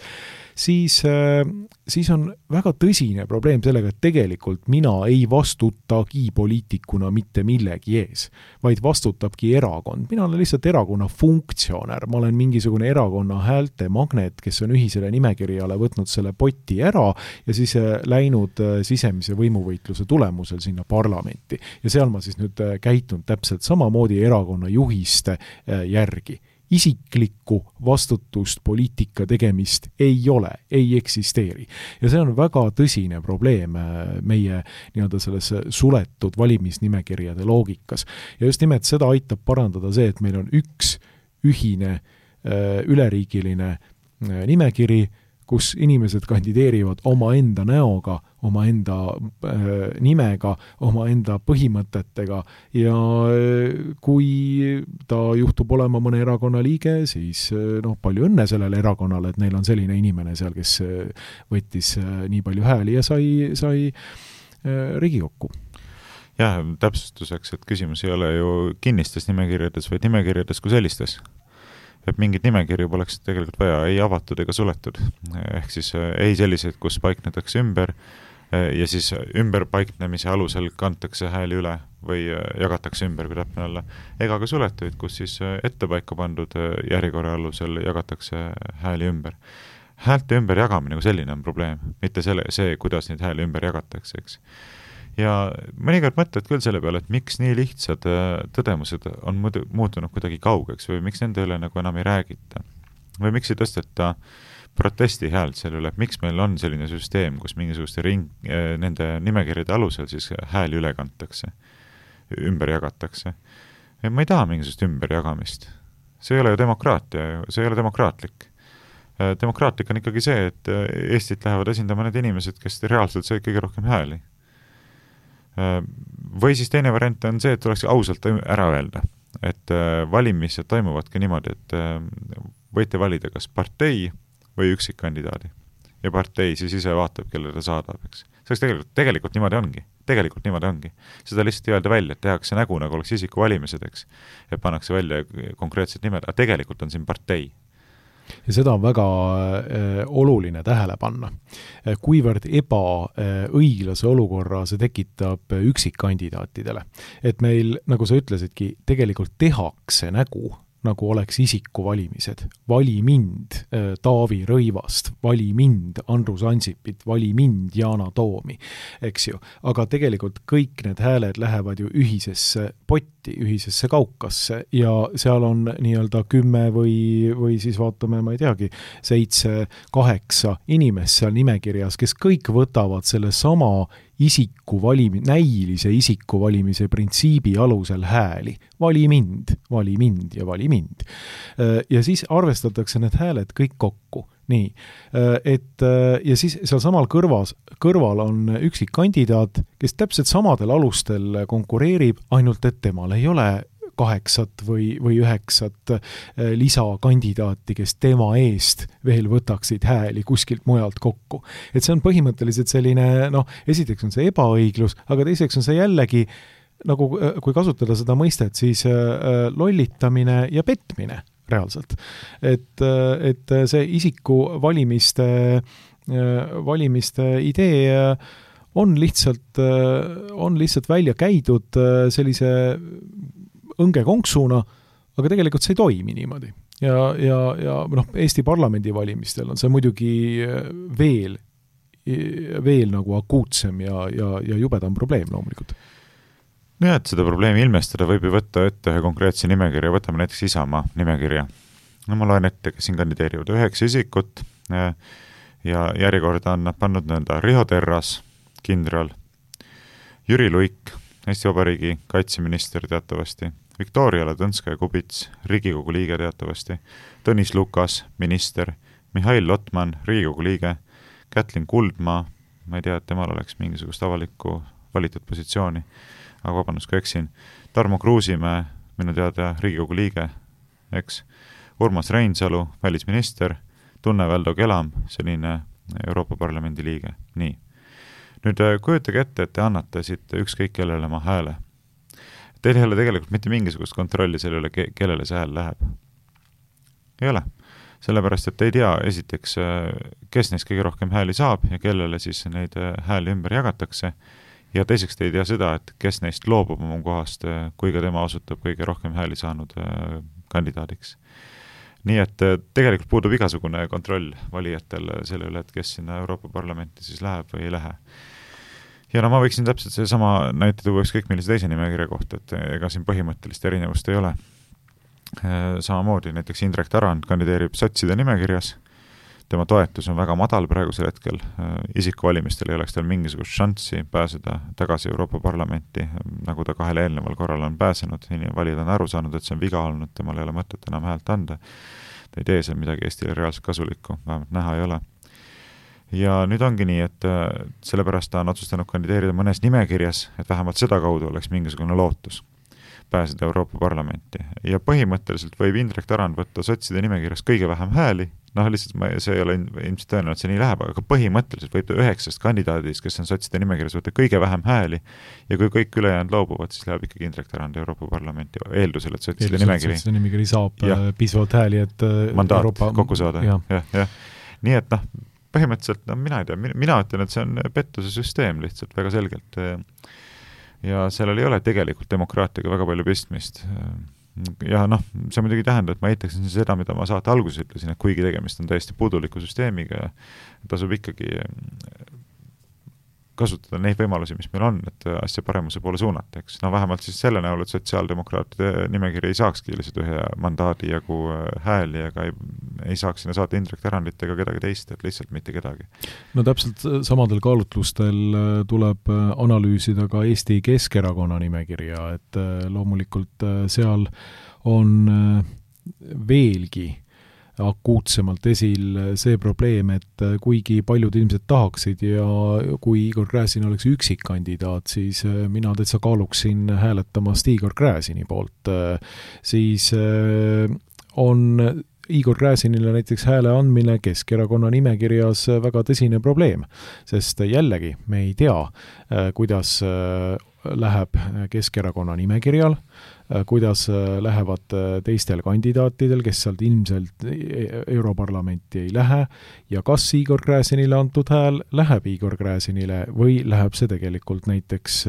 Speaker 2: siis on väga tõsine probleem sellega, et tegelikult mina ei vastutagi poliitikuna mitte millegi ees, vaid vastutabki erakond. Mina olen lihtsalt erakonna funktsionär, ma olen mingisugune erakonna häälte magnet, kes on ühisele nimekirjale võtnud selle poti ära ja siis läinud sisemise võimuvõitluse tulemusel sinna parlamenti. Ja seal ma siis nüüd käitun täpselt samamoodi erakonna juhiste järgi. Isiklikku vastutust poliitika tegemist ei ole, ei eksisteeri. Ja see on väga tõsine probleem meie nii-öelda selles suletud valimisnimekirjade loogikas. Ja just nimelt seda aitab parandada see, et meil on üks ühine üleriigiline nimekiri, kus inimesed kandideerivad omaenda näoga, omaenda nimega, omaenda põhimõtetega ja kui ta juhtub olema mõne erakonna liige, siis palju õnne sellele erakonnale, et neil on selline inimene seal, kes võttis nii palju hääli ja sai Riigikokku.
Speaker 3: Jah, täpsustuseks, et küsimus ei ole ju kinnistes nimekirjades, vaid nimekirjades kui sellistes. Et mingid nimekirju poleks tegelikult vaja ei avatud ega suletud. Ehk siis ei selliseid, kus paiknetakse ümber ja siis ümberpaiknemise alusel kantakse hääli üle või jagatakse ümber, kui täpne olla. Ega ka suletuid, kus siis ettepaika pandud järjekorra alusel jagatakse hääli ümber. Häälte ümber jagamine kui selline on probleem, mitte see, kuidas neid hääli ümber jagatakse, eks. Ja mõnikord mõtled küll selle peale, et miks nii lihtsad tõdemused on muutunud kuidagi kaugeks või miks nende üle nagu enam ei räägita. Või miks ei tõsteta protesti häält selle üle, et miks meil on selline süsteem, kus mingisuguste nende nimekirjade alusel siis hääli üle kantakse, ümber jagatakse. Ja ma ei taha mingisugust ümberjagamist. See ei ole ju demokraatia, see ei ole demokraatlik. Demokraatlik on ikkagi see, et Eestit lähevad esindama need inimesed, kes reaalselt said kõige rohkem hääli. Või siis teine variant on see, et tuleks ausalt ära öelda, et valimised toimuvadki niimoodi, et võite valida kas partei või üksikkandidaadi. Ja partei siis ise vaatab, kelle ta saadab, eks. See tegelikult niimoodi ongi. Seda lihtsalt ei öelda välja, et tehakse nägu, nagu oleks isiku valimised, eks. Ja pannakse välja konkreetsed nimed, aga tegelikult on siin partei.
Speaker 2: Ja seda on väga oluline tähele panna. Kuivõrd ebaõiglase olukorra see tekitab üksikkandidaatidele. Et meil, nagu sa ütlesidki, tegelikult tehakse nägu, nagu oleks isikuvalimised. Vali mind, Taavi Rõivast, vali mind, Andrus Ansipit, vali mind, Yana Toomi, eks ju. Aga tegelikult kõik need hääled lähevad ju ühisesse potti, ühisesse kaukasse ja seal on nii-öelda 10 või siis vaatame, ma ei teagi, 7-8 inimest seal nimekirjas, kes kõik võtavad selle sama näilise isikuvalimise printsiibi alusel hääli. Vali mind ja vali mind. Ja siis arvestatakse need hääled kõik kokku. Nii, ja siis seal samal kõrval on üksik kandidaat, kes täpselt samadel alustel konkureerib, ainult et temal ei ole 8 või 9 lisakandidaati, kes tema eest veel võtaksid hääli kuskilt mujalt kokku. Et see on põhimõtteliselt selline, esiteks on see ebaõiglus, aga teiseks on see jällegi, nagu kui kasutada seda mõistet, siis lollitamine ja petmine reaalselt. Et see isiku valimiste idee on lihtsalt välja käidud sellise õngekonksuna, aga tegelikult see ei toimi niimoodi. Ja Eesti parlamendi valimistel on see muidugi veel nagu akuutsem ja jubedam probleem loomulikult.
Speaker 3: Ja, et seda probleemi ilmestada võib ju võtta ette ühe konkreetse nimekirja, võtame näiteks Isamaa nimekirja. No ma loen ette, kes siin kandideerivad 9 isikut ja järjekorda on nad pannud nõnda Riho Terras, kindral, Jüri Luik, Eesti Vabariigi kaitseminister teatavasti, Viktoria Ladõnskaja-Kubits, Riigikogu liige teatavasti, Tõnis Lukas, minister, Mihhail Lotman, Riigikogu liige, Kätlin Kuldmaa, ma ei tea, et temal oleks mingisugust avalikku valitud positsiooni, aga vabandust, kui eksin, Tarmo Kruusimäe, minu teada Riigikogu liige, eks, Urmas Reinsalu, välisminister, Tunne Väldo Kelam, selline Euroopa Parlamendi liige. Nii. Nüüd kujutage ette, et te annate siit ükskõik kellele oma hääle. Teil ei ole tegelikult mitte mingisugust kontrolli selle üle, kellele see hääl läheb. Ei ole. Sellepärast, et ei tea esiteks, kes neist kõige rohkem hääli saab ja kellele siis neid hääli ümber jagatakse. Ja teiseks te ei tea seda, et kes neist loobub oma kohast, kui ka tema osutab kõige rohkem hääli saanud kandidaadiks. Nii et tegelikult puudub igasugune kontroll valijatel selle üle, et kes sinna Euroopa Parlamenti siis läheb või ei lähe. Ja ma võiksin täpselt see sama näite tuua ükskõik millise teise nimekirja kohta, et ega siin põhimõttelist erinevust ei ole. Samamoodi näiteks Indrek Tarand kandideerib sotside nimekirjas. Tema toetus on väga madal praegusel hetkel. Isikuvalimistel ei oleks tal mingisugust šanssi pääseda tagasi Euroopa Parlamenti, nagu ta 2 eelneval korral on pääsenud. Valijad on aru saanud, et see on viga olnud, temal ei ole mõtet enam häält anda. Ta ei tee seal midagi Eestile reaalselt kasulikku, vähemalt näha ei ole. Ja nüüd ongi nii, et sellepärast ta on otsustanud kandideerida mõnes nimekirjas, et vähemalt seda kaudu oleks mingisugune lootus pääseda Euroopa Parlamenti. Ja põhimõtteliselt võib Indrek Tarand võtta sotside nimekirjas kõige vähem hääli, lihtsalt see ei ole ilmselt tõenäoliselt, et see nii läheb, aga põhimõtteliselt võib ta 9 kandidaadist, kes on sotside nimekirjas, võtta kõige vähem hääli ja kui kõik ülejäänud loobuvad, siis läheb ikkagi Indrek Tarand Euroopa Parlamenti eeldusel, et sotside
Speaker 2: nimekiri saab piisavalt hääli, et
Speaker 3: mandaat
Speaker 2: Euroopa
Speaker 3: kokku saada. Ja. Nii et põhimõtteliselt, mina ei tea, mina ütlen, et see on pettuse süsteem lihtsalt väga selgelt ja sellel ei ole tegelikult demokraatiaga väga palju pistmist. Ja see muidugi tähendab, et ma eitaksin seda, mida ma saate alguses ütlesin, et kuigi tegemist on täiesti puuduliku süsteemiga, tasub ikkagi kasutada neid võimalusi, mis meil on, et asja paremuse poole suunata, eks. Vähemalt siis selle näol, et sotsiaaldemokraatide nimekiri ei saakski lihtsalt ühe mandaadi jagu hääli, aga ei saaks sinna saata Indrek Tarandit ega kedagi teist, et lihtsalt mitte kedagi.
Speaker 2: No täpselt samadel kaalutlustel tuleb analüüsida ka Eesti Keskerakonna nimekirja, et loomulikult seal on veelgi akuutsemalt esil see probleem, et kuigi paljud ilmselt tahaksid ja kui Igor Gräzin oleks üksik kandidaat, siis mina täitsa kaaluksin hääletamast Igor Gräzini poolt. Siis on Igor Gräzinile näiteks hääle andmine Keskerakonna nimekirjas väga tõsine probleem, sest jällegi me ei tea, kuidas läheb Keskerakonna nimekirjal, kuidas lähevad teistel kandidaatidel, kes sealt ilmselt Europarlamenti ei lähe ja kas Igor Gräzinile antud hääl läheb Igor Gräzinile või läheb see tegelikult näiteks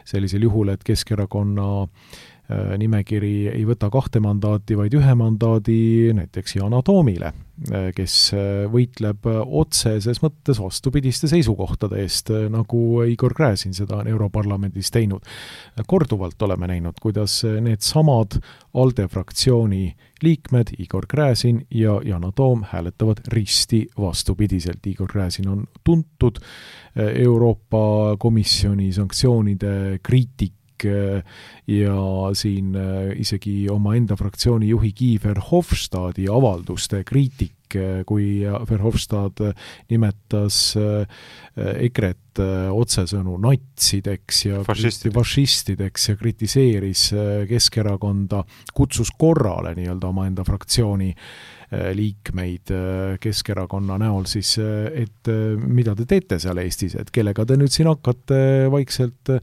Speaker 2: sellisel juhul, et Keskerakonna nimekiri ei võta 2 mandaati, vaid 1 mandaadi näiteks Yana Toomile, kes võitleb otseses mõttes vastupidiste seisukohtade eest, nagu Igor Gräzin seda on Europarlamendis teinud. Korduvalt oleme näinud, kuidas need samad ALDE fraktsiooni liikmed, Igor Gräzin ja Yana Toom, hääletavad risti vastupidiselt. Igor Gräzin on tuntud Euroopa Komisjoni sanktsioonide kriitik ja siin isegi oma enda fraktsiooni juhi Guy Verhofstadti avalduste kriitik, kui Verhofstadt nimetas EKRE-t otsesõnu natsideks ja fašistideks ja kritiseeris Keskerakonda, kutsus korrale nii-öelda oma enda fraktsiooni liikmeid Keskerakonna näol siis, et mida te teete seal Eestis, et kellega te nüüd siin hakkate vaikselt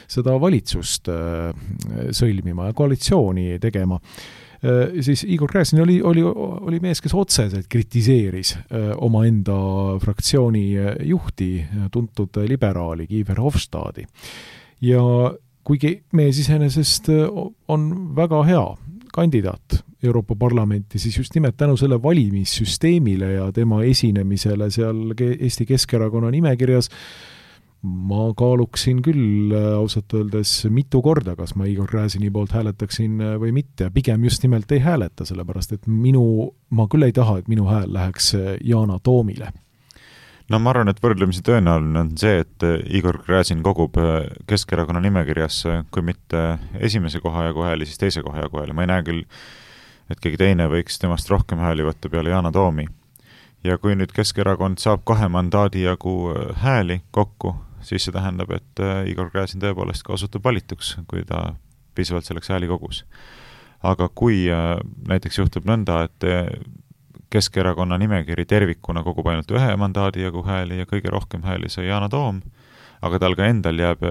Speaker 2: seda valitsust sõlmima ja koalitsiooni tegema. Siis Igor Gräzin oli mees, kes otseselt kritiseeris oma enda fraktsiooni juhti, tuntud liberaali Guy Verhofstadti. Ja kuigi mees iseenesest on väga hea kandidaat Euroopa Parlamenti, siis just nimelt tänu selle valimissüsteemile ja tema esinemisele seal Eesti Keskerakonna nimekirjas ma kaaluksin küll ausalt öeldes mitu korda, kas ma Igor Gräzini poolt hääletaksin või mitte. Pigem just nimelt ei hääleta, sellepärast et ma küll ei taha, et minu hääl läheks Yana Toomile.
Speaker 3: No ma arvan, et võrdlemisi tõenäoline on see, et Igor Gräzin kogub Keskerakonna nimekirjas, kui mitte esimese koha jagu hääli, siis teise koha jagu hääli. Ma ei näe küll, et keegi teine võiks temast rohkem hääli võtta peale Yana Toomi. Ja kui nüüd Keskerakond saab 2 mandaadi jagu hääli kokku, siis see tähendab, et Igor Gräzin tõepoolest ka osutub valituks, kui ta piisavalt selleks hääli kogus. Aga kui näiteks juhtub nõnda, et Keskerakonna nimekiri tervikuna kogub ainult 1 mandaadi jagu hääli ja kõige rohkem hääli sai Yana Toom, aga tal ka endal jääb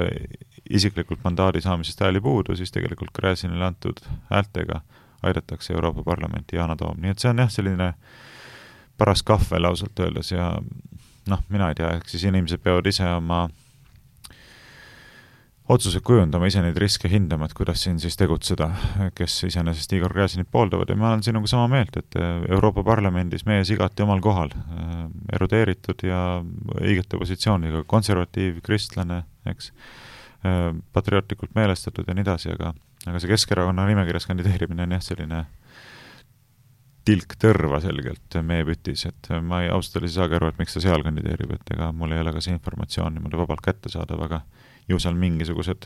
Speaker 3: isiklikult mandaadi saamisest hääli puudu, siis tegelikult Gräzinile antud häältega aidatakse Euroopa Parlamenti Yana Toom. Nii et see on jah selline paras kahvel ausalt öeldes ja mina ei tea, siis inimesed peavad ise oma otsused kujundama, ise neid riske hindama, et kuidas siin siis tegutseda, kes iseenesest Igor Gräzinit pooldavad. Ja ma olen sinuga sama meelt, et Euroopa Parlamendis mees igati omal kohal, erudeeritud ja õigete positsiooniga, konservatiiv, kristlane, eks, patriootlikult meelestatud ja nii edasi, aga see Keskerakonna nimekirjas kandideerimine on jah selline tilk tõrva selgelt meie pütis, et ma ausalt ei saagi aru, et miks ta seal kandideerib, et ega mul ei ole ka see informatsioon niimoodi vabalt kätte saada, aga ju seal mingisugused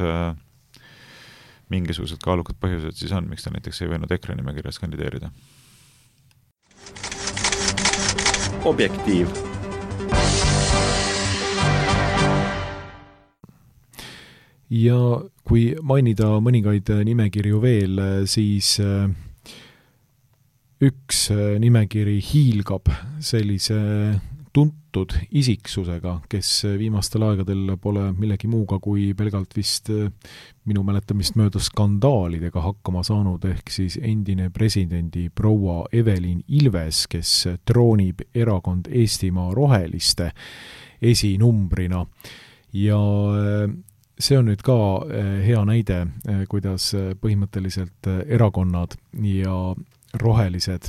Speaker 3: kaalukad põhjused siis on, miks ta näiteks ei võinud EKRE nimekirjas kandideerida.
Speaker 1: Objektiiv.
Speaker 2: Ja kui mainida mõningaid nimekirju veel, siis üks nimekiri hiilgab sellise tuntud isiksusega, kes viimastel aegadel pole millegi muuga kui pelgalt vist minu mäletamist mööda skandaalidega hakkama saanud, ehk siis endine presidendi proua Evelin Ilves, kes troonib erakond Eestimaa Roheliste esinumbrina. Ja see on nüüd ka hea näide, kuidas põhimõtteliselt erakonnad ja rohelised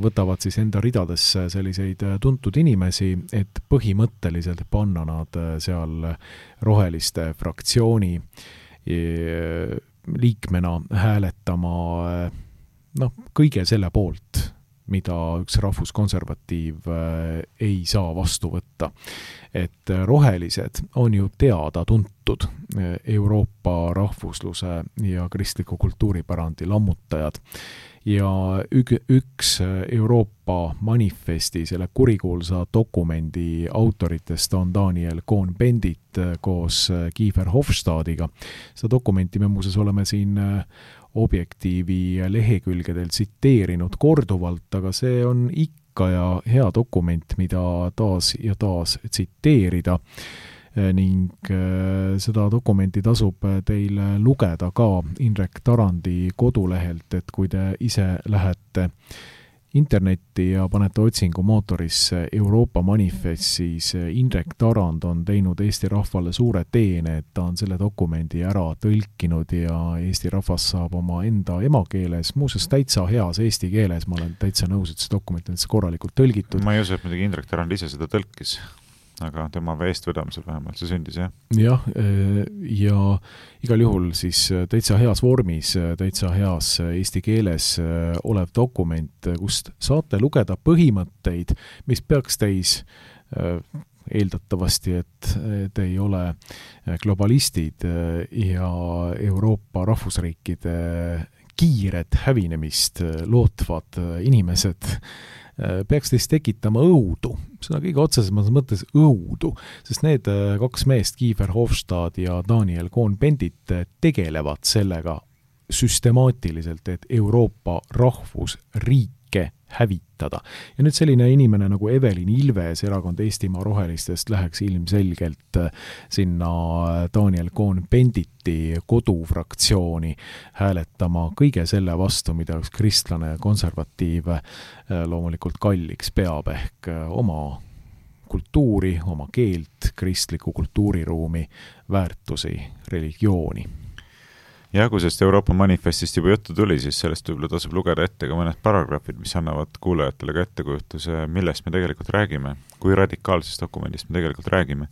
Speaker 2: võtavad siis enda ridadesse selliseid tuntud inimesi, et põhimõtteliselt panna nad seal roheliste fraktsiooni liikmena hääletama kõige selle poolt, mida üks rahvuskonservatiiv ei saa vastu võtta. Et rohelised on ju teada-tuntud Euroopa rahvusluse ja kristliku kultuuripärandi lammutajad. Ja üks Euroopa manifesti, selle kurikuulsa dokumendi autoritest on Daniel Cohn-Bendit koos Guy Verhofstadtiga. Seda dokumenti me muuseas oleme siin Objektiivi lehekülgedel tsiteerinud korduvalt, aga see on ikka ja hea dokument, mida taas ja taas tsiteerida. Ning seda dokumenti tasub teil lugeda ka Indrek Tarandi kodulehelt, et kui te ise lähete internetti ja panete otsingu mootorisse Euroopa manifest, siis Indrek Tarand on teinud Eesti rahvale suure teene, et ta on selle dokumendi ära tõlkinud ja Eesti rahvas saab oma enda emakeeles, muuseas täitsa heas eesti keeles, ma olen täitsa nõus, et see dokument on korralikult tõlgitud.
Speaker 3: Ma ei usu, et muidugi Indrek Tarand ise seda tõlkis, aga tema eestvedamisel vähemalt see sündis, jah?
Speaker 2: Jah, ja igal juhul siis täitsa heas vormis, täitsa heas eesti keeles olev dokument, kust saate lugeda põhimõtteid, mis peaks teis eeldatavasti, et te ei ole globalistid ja Euroopa rahvusriikide kiiret hävinemist lootvad inimesed, peaks teist tekitama õudu, seda kõige otsesemas mõttes õudu, sest need kaks meest, Kiefer Hofstad ja Daniel Cohn-Bendit, tegelevad sellega süstemaatiliselt, et Euroopa rahvusriike hävitada. Ja nüüd selline inimene nagu Evelin Ilves, erakond Eestimaa Rohelistest, läheks ilmselgelt sinna Daniel Cohn-Benditi kodufraktsiooni hääletama kõige selle vastu, mida üks kristlane ja konservatiiv loomulikult kalliks peab, ehk oma kultuuri, oma keelt, kristliku kultuuriruumi, väärtusi, religiooni.
Speaker 3: Ja kui sellest Euroopa manifestist juba juttu tuli, siis sellest võib-olla tasub lugeda ette ka mõned paragrahvid, mis annavad kuulajatele ka ettekujutuse, millest me tegelikult räägime, kui radikaalsest dokumendist me tegelikult räägime.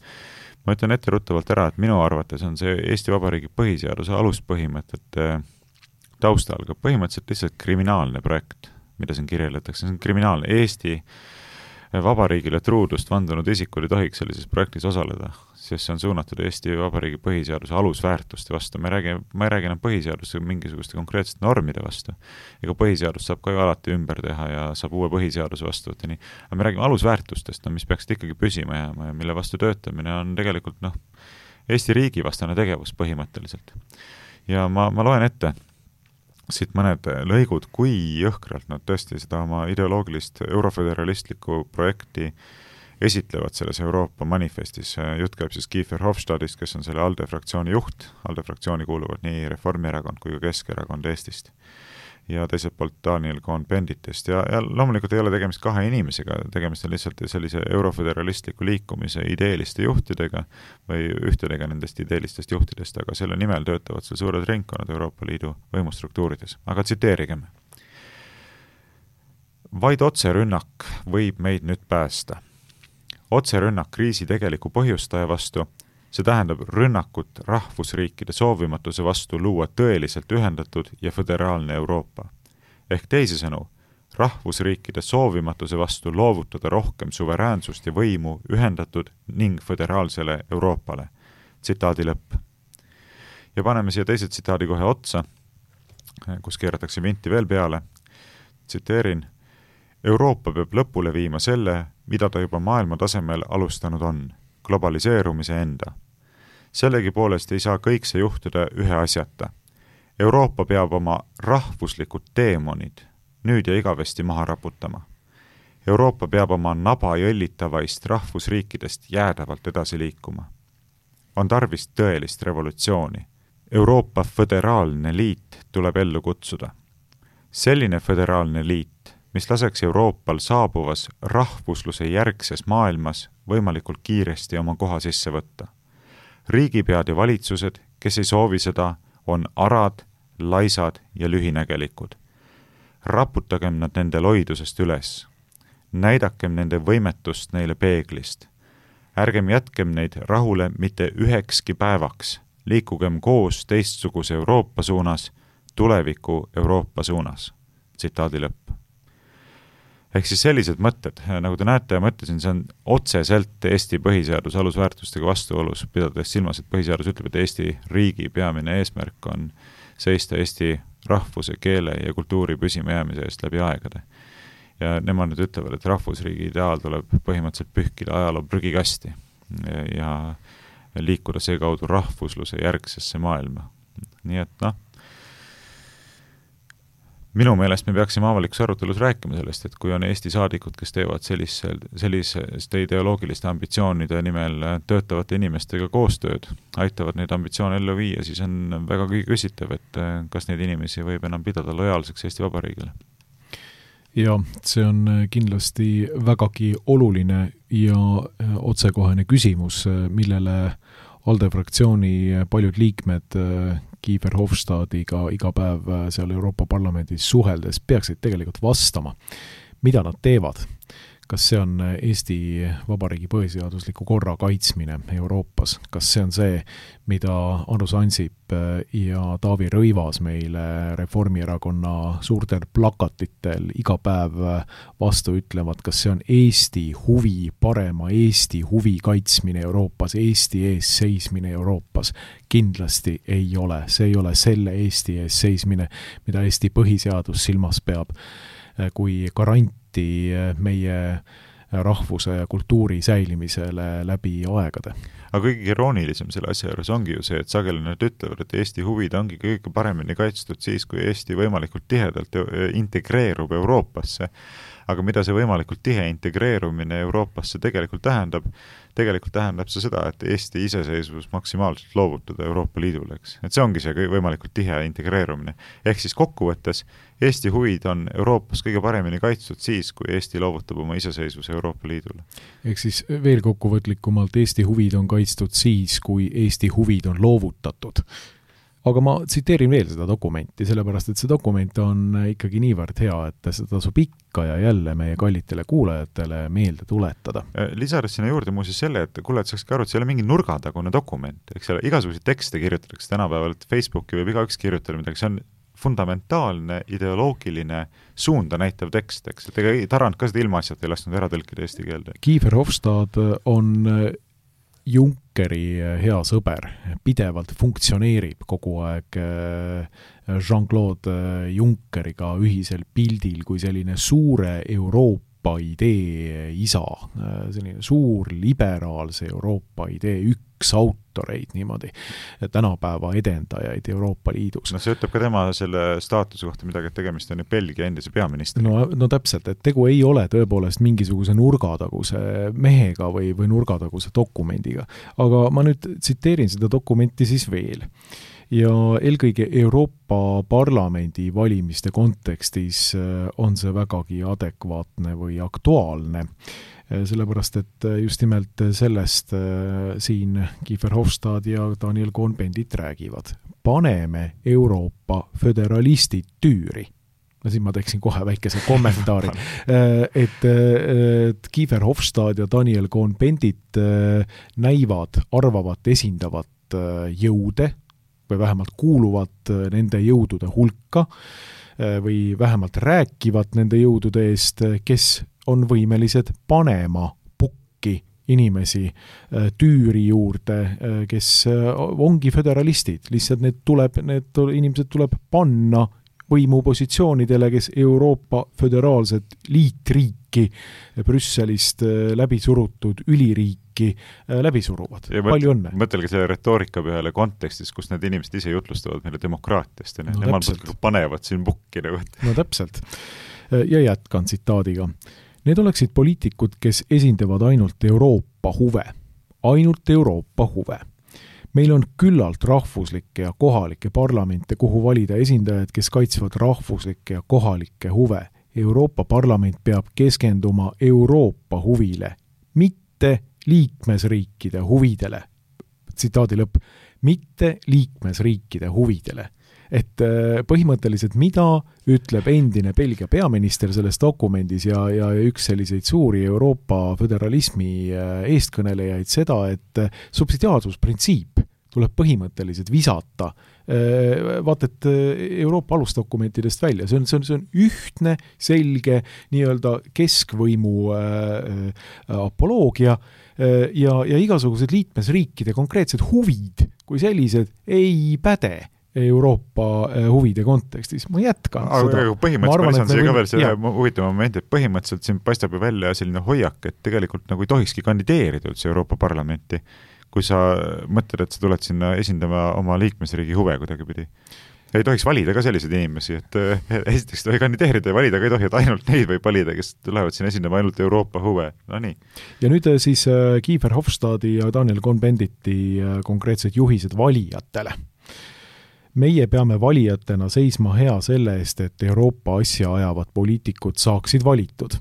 Speaker 3: Ma ütlen etteruttavalt ära, et minu arvates on see Eesti Vabariigi põhiseaduse aluspõhimõtete taustal ka põhimõtteliselt lihtsalt kriminaalne projekt, mida siin kirjeldatakse. See on kriminaalne. Eesti Vabariigile truudust vandunud isikul ei tohiks sellises projektis osaleda, sest see on suunatud Eesti Vabariigi põhiseaduse alusväärtuste vastu. Ma ei räägi enam põhiseaduse mingisuguste konkreetsete normide vastu. Ega põhiseadus saab ka ju alati ümber teha ja saab uue põhiseaduse vastu võtta nii. Aga me räägime alusväärtustest, mis peaksid ikkagi püsima jääma ja mille vastu töötamine on tegelikult Eesti riigi vastane tegevus põhimõtteliselt. Ja ma loen ette siit mõned lõigud, kui jõhkralt nad tõesti seda oma ideoloogilist euroföderalistlikku projekti esitlevad selles Euroopa manifestis. Jutt käib siis Kiefer Hofstadist, kes on selle ALDE fraktsiooni juht. ALDE fraktsiooni kuuluvad nii Reformierakond kui ka Keskerakond Eestist. Ja teiselt poolt Daniel Cohn-Benditest. Ja loomulikult ei ole tegemist kahe inimesega, tegemist on lihtsalt sellise euroföderalistliku liikumise ideeliste juhtidega või ühtedega nendest ideelistest juhtidest, aga selle nimel töötavad seal suured ringkonnad Euroopa Liidu võimustruktuurides. Aga tsiteerigem. Vaid otserünnak võib meid nüüd päästa. Otserünnak kriisi tegeliku põhjustaja vastu, see tähendab rünnakut rahvusriikide soovimatuse vastu luua tõeliselt ühendatud ja föderaalne Euroopa. Ehk teisisõnu, rahvusriikide soovimatuse vastu loovutada rohkem suveräänsust ja võimu ühendatud ning föderaalsele Euroopale. Tsitaadi lõpp. Ja paneme siia teise tsitaadi kohe otsa, kus keeratakse vinti veel peale. Tsiteerin. Euroopa peab lõpule viima selle, mida ta juba maailma tasemel alustanud on, globaliseerumise enda. Sellegi poolest ei saa kõik see juhtuda ühe asjata. Euroopa peab oma rahvuslikud teemonid nüüd ja igavesti maha raputama. Euroopa peab oma naba jõllitavaist rahvusriikidest jäädavalt edasi liikuma. On tarvis tõelist revolutsiooni. Euroopa föderaalne liit tuleb ellu kutsuda. Selline föderaalne liit, mis laseks Euroopal saabuvas rahvusluse järgses maailmas võimalikult kiiresti oma koha sisse võtta. Riigipead ja valitsused, kes ei soovi seda, on arad, laisad ja lühinägelikud. Raputagem nad nende loidusest üles. Näidakem nende võimetust neile peeglist. Ärgem jätkem neid rahule mitte ühekski päevaks. Liikugem koos teistsuguse Euroopa suunas, tuleviku Euroopa suunas. Tsitaadi lõpp. Ehk siis sellised mõtted, nagu te näete ja mõtlesin, see on otseselt Eesti põhiseaduse alusväärtustega vastuolus, pidades silmas, et põhiseadus ütleb, et Eesti riigi peamine eesmärk on seista Eesti rahvuse, keele ja kultuuri püsima jäämise eest läbi aegade. Ja nemad nüüd ütlevad, et rahvusriigi ideaal tuleb põhimõtteliselt pühkida ajaloo prügikasti ja liikuda seekaudu rahvusluse järgsesse maailma. Nii et minu meelest me peaksime avalikus arutelus rääkima sellest, et kui on Eesti saadikud, kes teevad selliste ideoloogiliste ambitsioonide nimel töötavate inimestega koostööd, aitavad neid ambitsioone ellu viia, siis on väga küsitav, et kas neid inimesi võib enam pidada lojaalseks Eesti Vabariigile.
Speaker 2: Ja see on kindlasti vägagi oluline ja otsekohene küsimus, millele ALDE fraktsiooni paljud liikmed Guy Verhofstadiga iga päev seal Euroopa Parlamendis suheldes peaksid tegelikult vastama. Mida nad teevad? Kas see on Eesti Vabariigi põhiseadusliku korra kaitsmine Euroopas? Kas see on see, mida Andrus Ansip ja Taavi Rõivas meile Reformierakonna suurtel plakatitel iga päev vastu ütlevad? Kas see on Eesti huvi, parema Eesti huvi kaitsmine Euroopas, Eesti ees seismine Euroopas? Kindlasti ei ole. See ei ole selle Eesti ees seismine, mida Eesti põhiseadus silmas peab, kui garanti meie rahvuse ja kultuuri säilimisele läbi aegade.
Speaker 3: Aga kõige iroonilisem selle asja juures ongi ju see, et sageli nad ütlevad, et Eesti huvid ongi kõige paremini kaitstud siis, kui Eesti võimalikult tihedalt integreerub Euroopasse. Aga mida see võimalikult tihe integreerumine Euroopasse tegelikult tähendab? Tegelikult tähendab see seda, et Eesti iseseisvus maksimaalselt loovutada Euroopa Liidule, eks. Et see ongi see võimalikult tihe integreerumine. Ehk siis kokkuvõttes Eesti huvid on Euroopas kõige paremini kaitstud siis, kui Eesti loovutab oma iseseisvuse Euroopa Liidule.
Speaker 2: Ehk siis veel kokkuvõtlikumalt Eesti huvid on kaitstud siis, kui Eesti huvid on loovutatud. Aga ma tsiteerin veel seda dokumenti, sellepärast, et see dokument on ikkagi niivõrd hea, et seda tasub ikka ja jälle meie kallitele kuulajatele meelde tuletada.
Speaker 3: Lisades sinna juurde muuseas selle, et kuulajad saaks ka aru, et see ei ole mingi nurgatagune dokument. Eks ole, igasuguseid tekste kirjutatakse tänapäeval, et Facebooki võib igaüks kirjutada midagi, see on fundamentaalne, ideoloogiline suunda näitav tekst, eks. Et ega Tarand ka seda ilmaasjat ei lasknud ära tõlkida eesti keelde.
Speaker 2: Guy Verhofstadt on Junckeri hea sõber, pidevalt funktsioneerib kogu aeg Jean-Claude Junckeriga ühisel pildil kui selline suure Euroopa idee isa, selline suur liberaalse Euroopa idee üks autoreid niimoodi, tänapäeva edendajaid Euroopa Liidus.
Speaker 3: No see ütleb ka tema selle staatuse kohta midagi, et tegemist on Belgia endise peaministri.
Speaker 2: No täpselt, et tegu ei ole tõepoolest mingisuguse nurgataguse mehega või nurgataguse dokumendiga. Aga ma nüüd tsiteerin seda dokumenti siis veel. Ja eelkõige Euroopa Parlamendi valimiste kontekstis on see vägagi adekvaatne või aktuaalne, sellepärast et just nimelt sellest siin Guy Verhofstadt ja Daniel Cohn-Bendit räägivad. Paneme Euroopa föderalistid tüüri. Siin ma teeksin kohe väikese kommentaari, et Guy Verhofstadt ja Daniel Cohn-Bendit näivad, arvavat, esindavat jõude või vähemalt kuuluvad nende jõudude hulka või vähemalt rääkivad nende jõudude eest, kes on võimelised panema pukki inimesi tüüri juurde, kes ongi föderalistid. Lihtsalt need inimesed tuleb panna võimupositsioonidele, kes Euroopa föderaalset liitriiki Brüsselist läbi surutud üliriiki läbi suruvad. Palju õnne.
Speaker 3: Mõtelge selle retoorika peale kontekstis, kus need inimesed ise jutlustavad meile demokraatiast ja nemad panevad siin pukki.
Speaker 2: No täpselt. Ja jätkan tsitaadiga. Need oleksid poliitikud, kes esindavad ainult Euroopa huve. Ainult Euroopa huve. Meil on küllalt rahvuslikke ja kohalikke parlamente, kuhu valida esindajad, kes kaitsvad rahvuslikke ja kohalikke huve. Euroopa Parlament peab keskenduma Euroopa huvile, mitte liikmesriikide huvidele. Tsitaadi lõpp. Mitte liikmesriikide huvidele. Et põhimõtteliselt mida ütleb endine Belgia peaminister selles dokumendis ja üks selliseid suuri Euroopa föderalismi eestkõnelejaid seda, et subsidiaarsusprintsiip tuleb põhimõtteliselt visata. Vaat, et Euroopa alusdokumentidest välja. See on ühtne, selge nii-öelda keskvõimu apoloogia ja igasugused liikmesriikide konkreetsed huvid kui sellised ei päde Euroopa huvide kontekstis. Ma jätkan seda.
Speaker 3: Aga põhimõtteliselt see ka veel see huvitav moment, et põhimõtteliselt siin paistab ju välja selline hoiak, et tegelikult nagu ei tohikski kandideerida üldse Euroopa Parlamenti, kui sa mõtled, et sa tuled sinna esindama oma liikmesriigi huve kuidagipidi. Ei tohiks valida ka selliseid inimesi, et esiteks tohi kandideerida ja valida ka ei tohi, et ainult neid võib valida, kes tulevad sinna esindama ainult Euroopa huve. No nii.
Speaker 2: Ja nüüd siis Guy Verhofstadti ja Daniel Cohn-Benditi konkreetsed juhised valijatele. meie peame valijatena seisma hea selle eest, et Euroopa asja ajavad poliitikud saaksid valitud.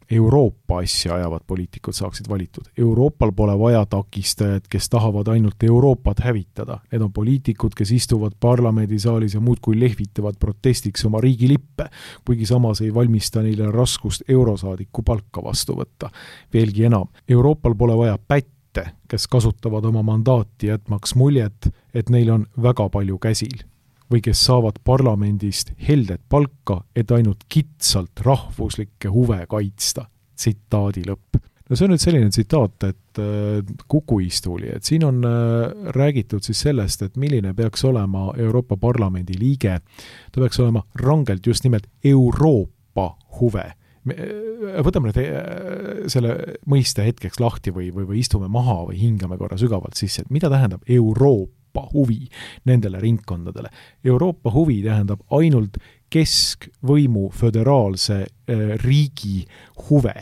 Speaker 2: Euroopa asja ajavad poliitikud saaksid valitud. Euroopal pole vaja takistajad, kes tahavad ainult Euroopat hävitada. Need on poliitikud, kes istuvad parlamendisaalis ja muudkui lehvitavad protestiks oma riigi lippe, kuigi samas ei valmista neile raskust eurosaadiku palka vastu võtta. Veelgi enam, Euroopal pole vaja pätte, kes kasutavad oma mandaati jätmaks muljet, et neil on väga palju käsil või kes saavad parlamendist heldet palka, et ainult kitsalt rahvuslikke huve kaitsta. Tsitaadi lõpp. No see on nüüd selline tsitaat, et Kukuistuuli, et siin on räägitud siis sellest, et milline peaks olema Euroopa Parlamendi liige. Ta peaks olema rangelt just nimelt Euroopa huve. Võtame nüüd selle mõiste hetkeks lahti või istume maha või hingame korra sügavalt sisse, et mida tähendab Euroopa huvi nendele ringkondadele. Euroopa huvi tähendab ainult keskvõimu föderaalse riigi huve,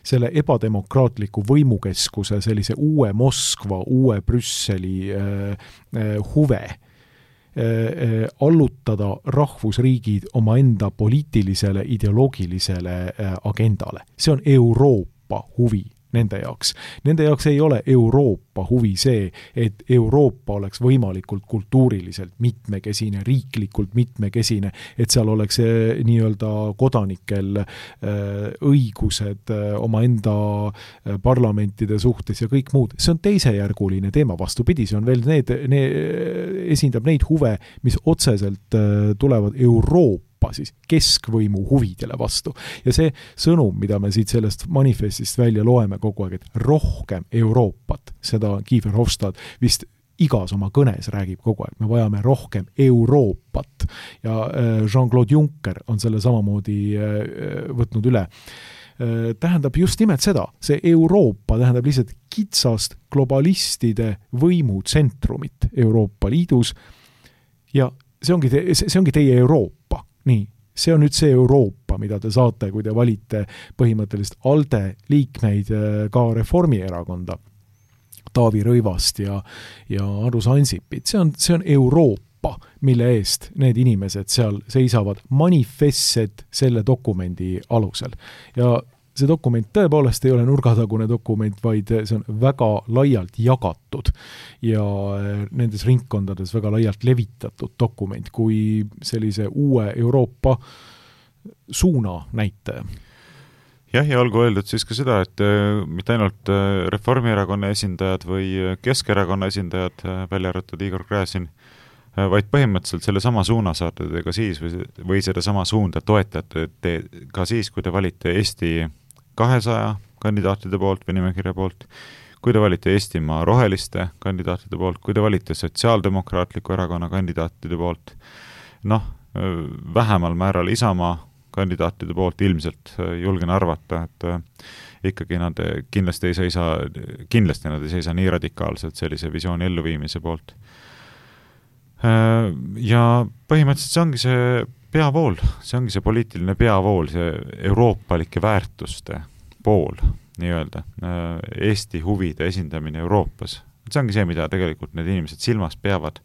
Speaker 2: selle ebademokraatliku võimukeskuse, sellise uue Moskva, uue Brüsseli huve allutada rahvusriigid omaenda poliitilisele, ideoloogilisele agendale. See on Euroopa huvi nende jaoks. Nende jaoks ei ole Euroopa huvi see, et Euroopa oleks võimalikult kultuuriliselt mitmekesine, riiklikult mitmekesine, et seal oleks nii-öelda kodanikel õigused omaenda parlamentide suhtes ja kõik muud. See on teisejärguline teema, vastupidi, see on veel esindab neid huve, mis otseselt tulevad Euroopa siis keskvõimu huvidele vastu. Ja see sõnum, mida me siit sellest manifestist välja loeme kogu aeg, et rohkem Euroopat, seda Kiefer Hofstad vist igas oma kõnes räägib kogu aeg, me vajame rohkem Euroopat ja Jean-Claude Juncker on selle samamoodi võtnud üle. Tähendab just nimelt seda, see Euroopa tähendab lihtsalt kitsast globalistide võimutsentrumit Euroopa Liidus ja see ongi teie Euroopa. Nii, see on nüüd see Euroopa, mida te saate, kui te valite põhimõtteliselt ALDE liikmeid ka Reformierakonda, Taavi Rõivast ja Andrus Ansipit. See on Euroopa, mille eest need inimesed seal seisavad manifestsed selle dokumendi alusel. Ja see dokument tõepoolest ei ole nurgatagune dokument, vaid see on väga laialt jagatud ja nendes ringkondades väga laialt levitatud dokument kui sellise uue Euroopa suuna näitaja.
Speaker 3: Jah, ja olgu öeldud siis ka seda, et mitte ainult Reformierakonna esindajad või Keskerakonna esindajad, välja arvatud Igor Gräzin, vaid põhimõtteliselt selle sama suuna saate te ka siis või seda sama suunda toetate te ka siis, kui te valite Eesti 200 kandidaatide poolt või nimekirja poolt, kui te valite Eestimaa roheliste kandidaatide poolt, kui te valite Sotsiaaldemokraatliku erakonna kandidaatide poolt, vähemal määral Isamaa kandidaatide poolt ilmselt julgen arvata, et ikkagi nad kindlasti ei seisa nii radikaalselt sellise visiooni elluviimise poolt. Ja põhimõtteliselt see ongi see peavool, see ongi see poliitiline peavool, see euroopalike väärtuste pool, nii-öelda, Eesti huvide esindamine Euroopas. See ongi see, mida tegelikult need inimesed silmas peavad,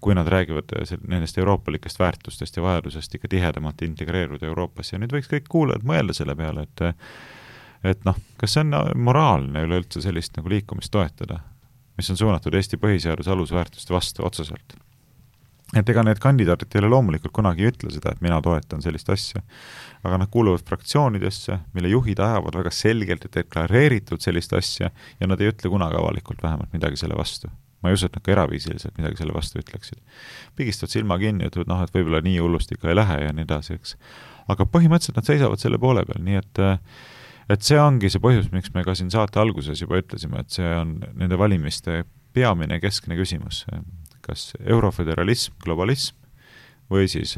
Speaker 3: kui nad räägivad nendest euroopalikest väärtustest ja vajadusest ikka tihedamalt integreeruda Euroopasse. Ja nüüd võiks kõik kuulajad mõelda selle peale, et kas see on moraalne üleüldse sellist nagu liikumist toetada, mis on suunatud Eesti põhiseaduse alusväärtuste vastu otseselt. Et ega need kandidaadid ei ole loomulikult kunagi ütle seda, et mina toetan sellist asja, aga nad kuuluvad fraktsioonidesse, mille juhid ajavad väga selgelt ja deklareeritud sellist asja ja nad ei ütle kunagi avalikult vähemalt midagi selle vastu. Ma ei usu, et nad ka eraviisiliselt midagi selle vastu ütleksid. Pigistavad silma kinni, et võib-olla nii hullust ikka ei lähe ja nii edasi, eks. Aga põhimõtteliselt nad seisavad selle poole peal, nii et see ongi see põhjus, miks me ka siin saate alguses juba ütlesime, et see on nende valimiste peamine keskne küsimus. Kas euroföderalism, globalism või siis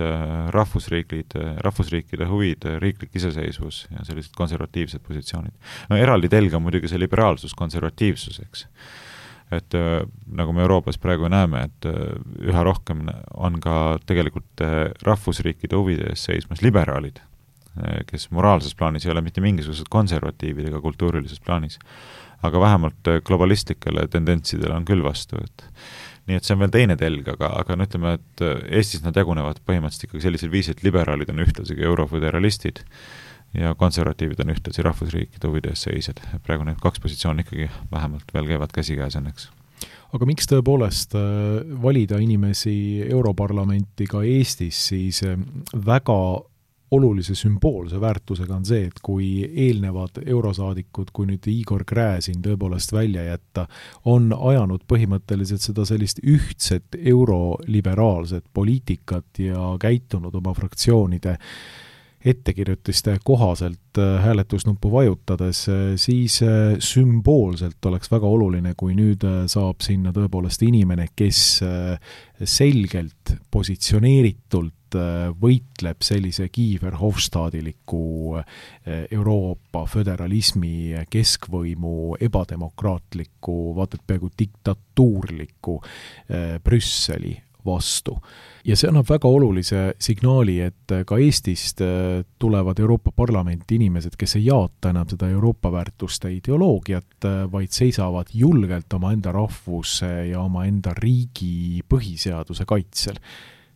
Speaker 3: rahvusriikide huvid, riiklik iseseisvus ja sellised konservatiivsed positsioonid. Eraldi telg on muidugi see liberaalsus, konservatiivsus, eks. Et nagu me Euroopas praegu näeme, et üha rohkem on ka tegelikult rahvusriikide huvide ees seismas liberaalid, kes moraalses plaanis ei ole mitte mingisugused konservatiivid ega kultuurilises plaanis, aga vähemalt globalistlikele tendentsidele on küll vastu, et Nii et see on veel teine telg, aga no ütleme, et Eestis nad jagunevad põhimõtteliselt ikkagi sellisel viisil, et liberaalid on ühtlasi euroföderalistid ja konservatiivid on ühtlasi rahvusriikide huvides seisjad. Praegu need kaks positsiooni ikkagi vähemalt veel käivad käsikäes õnneks.
Speaker 2: Aga miks tõepoolest valida inimesi Europarlamenti ka Eestis, siis väga olulise sümboolse väärtusega on see, et kui eelnevad eurosaadikud, kui nüüd Igor Gräzin tõepoolest välja jätta, on ajanud põhimõtteliselt seda sellist ühtset euroliberaalset poliitikat ja käitunud oma fraktsioonide ettekirjutiste kohaselt hääletusnuppu vajutades, siis sümboolselt oleks väga oluline, kui nüüd saab sinna tõepoolest inimene, kes selgelt positsioneeritult võitleb sellise Verhofstadiliku Euroopa föderalismi keskvõimu ebademokraatliku, vaata et peaaegu diktatuurliku Brüsseli vastu. Ja see annab väga olulise signaali, et ka Eestist tulevad Euroopa Parlamenti inimesed, kes ei jaata enam seda Euroopa väärtuste ideoloogiat, vaid seisavad julgelt oma enda rahvuse ja oma enda riigi põhiseaduse kaitsel.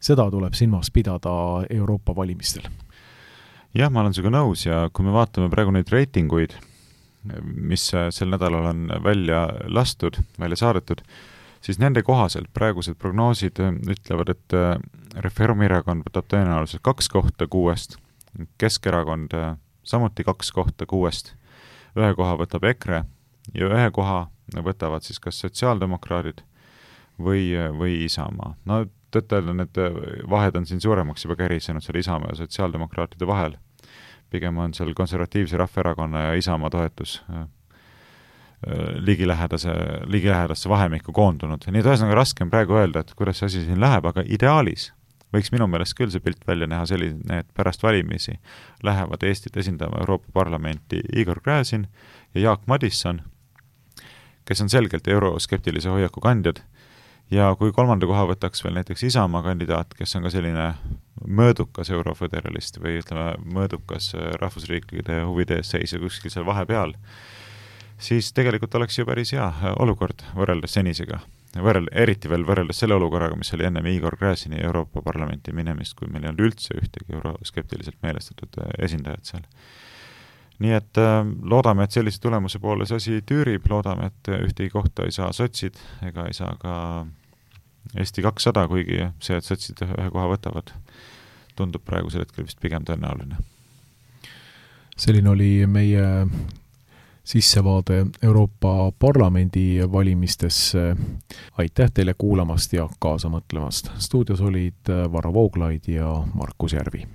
Speaker 2: Seda tuleb silmas pidada Euroopa valimistel.
Speaker 3: Jah, ma olen sinuga nõus ja kui me vaatame praegu neid reitinguid, mis sel nädalal on välja saadetud, siis nende kohaselt praegused prognoosid ütlevad, et Reformierakond võtab tõenäoliselt 2 kohta 6, Keskerakond samuti 2 kohta 6, 1 koha võtab EKRE ja 1 koha võtavad siis kas sotsiaaldemokraadid või Isamaa. No tõttel need vahed on siin suuremaks juba kärisenud seal Isamaa ja sotsiaaldemokraatide vahel. Pigem on seal konservatiivse Rahvaerakonna ja Isamaa toetus ligilähedasse vahemikku koondunud. Nii et ühesõnaga raske on praegu öelda, et kuidas see asi siin läheb, aga ideaalis võiks minu meelest küll see pilt välja näha selline, et pärast valimisi lähevad Eestit esindama Euroopa Parlamenti Igor Gräzin ja Jaak Madisson, kes on selgelt euroskeptilise hoiaku kandjad. Ja kui 3. koha võtaks veel näiteks Isamaa kandidaat, kes on ka selline mõõdukas euroföderalist või ütleme mõõdukas rahvusriikide huvide ees seisja kuskil seal vahepeal, siis tegelikult oleks ju päris hea olukord võrreldes senisega. Eriti veel võrreldes selle olukorraga, mis oli ennem Igor Gräzini Euroopa Parlamenti minemist, kui meil ei olnud üldse ühtegi euroskeptiliselt meelestatud esindajat seal. Nii et loodame, et sellise tulemuse poole see asi tüürib, loodame, et ühtegi kohta ei saa sotsid ega ei saa ka Eesti 200, kuigi see, et sotsid 1 koha võtavad, tundub praegusel hetkel vist pigem tõenäoline.
Speaker 2: Selline oli meie sissevaade Euroopa Parlamendi valimistesse. Aitäh teile kuulamast ja kaasa mõtlemast. Stuudios olid Varro Vooglaid ja Markus Järvi.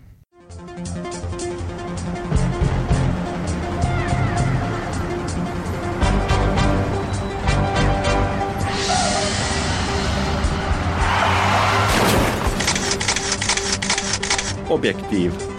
Speaker 1: Objektiiv.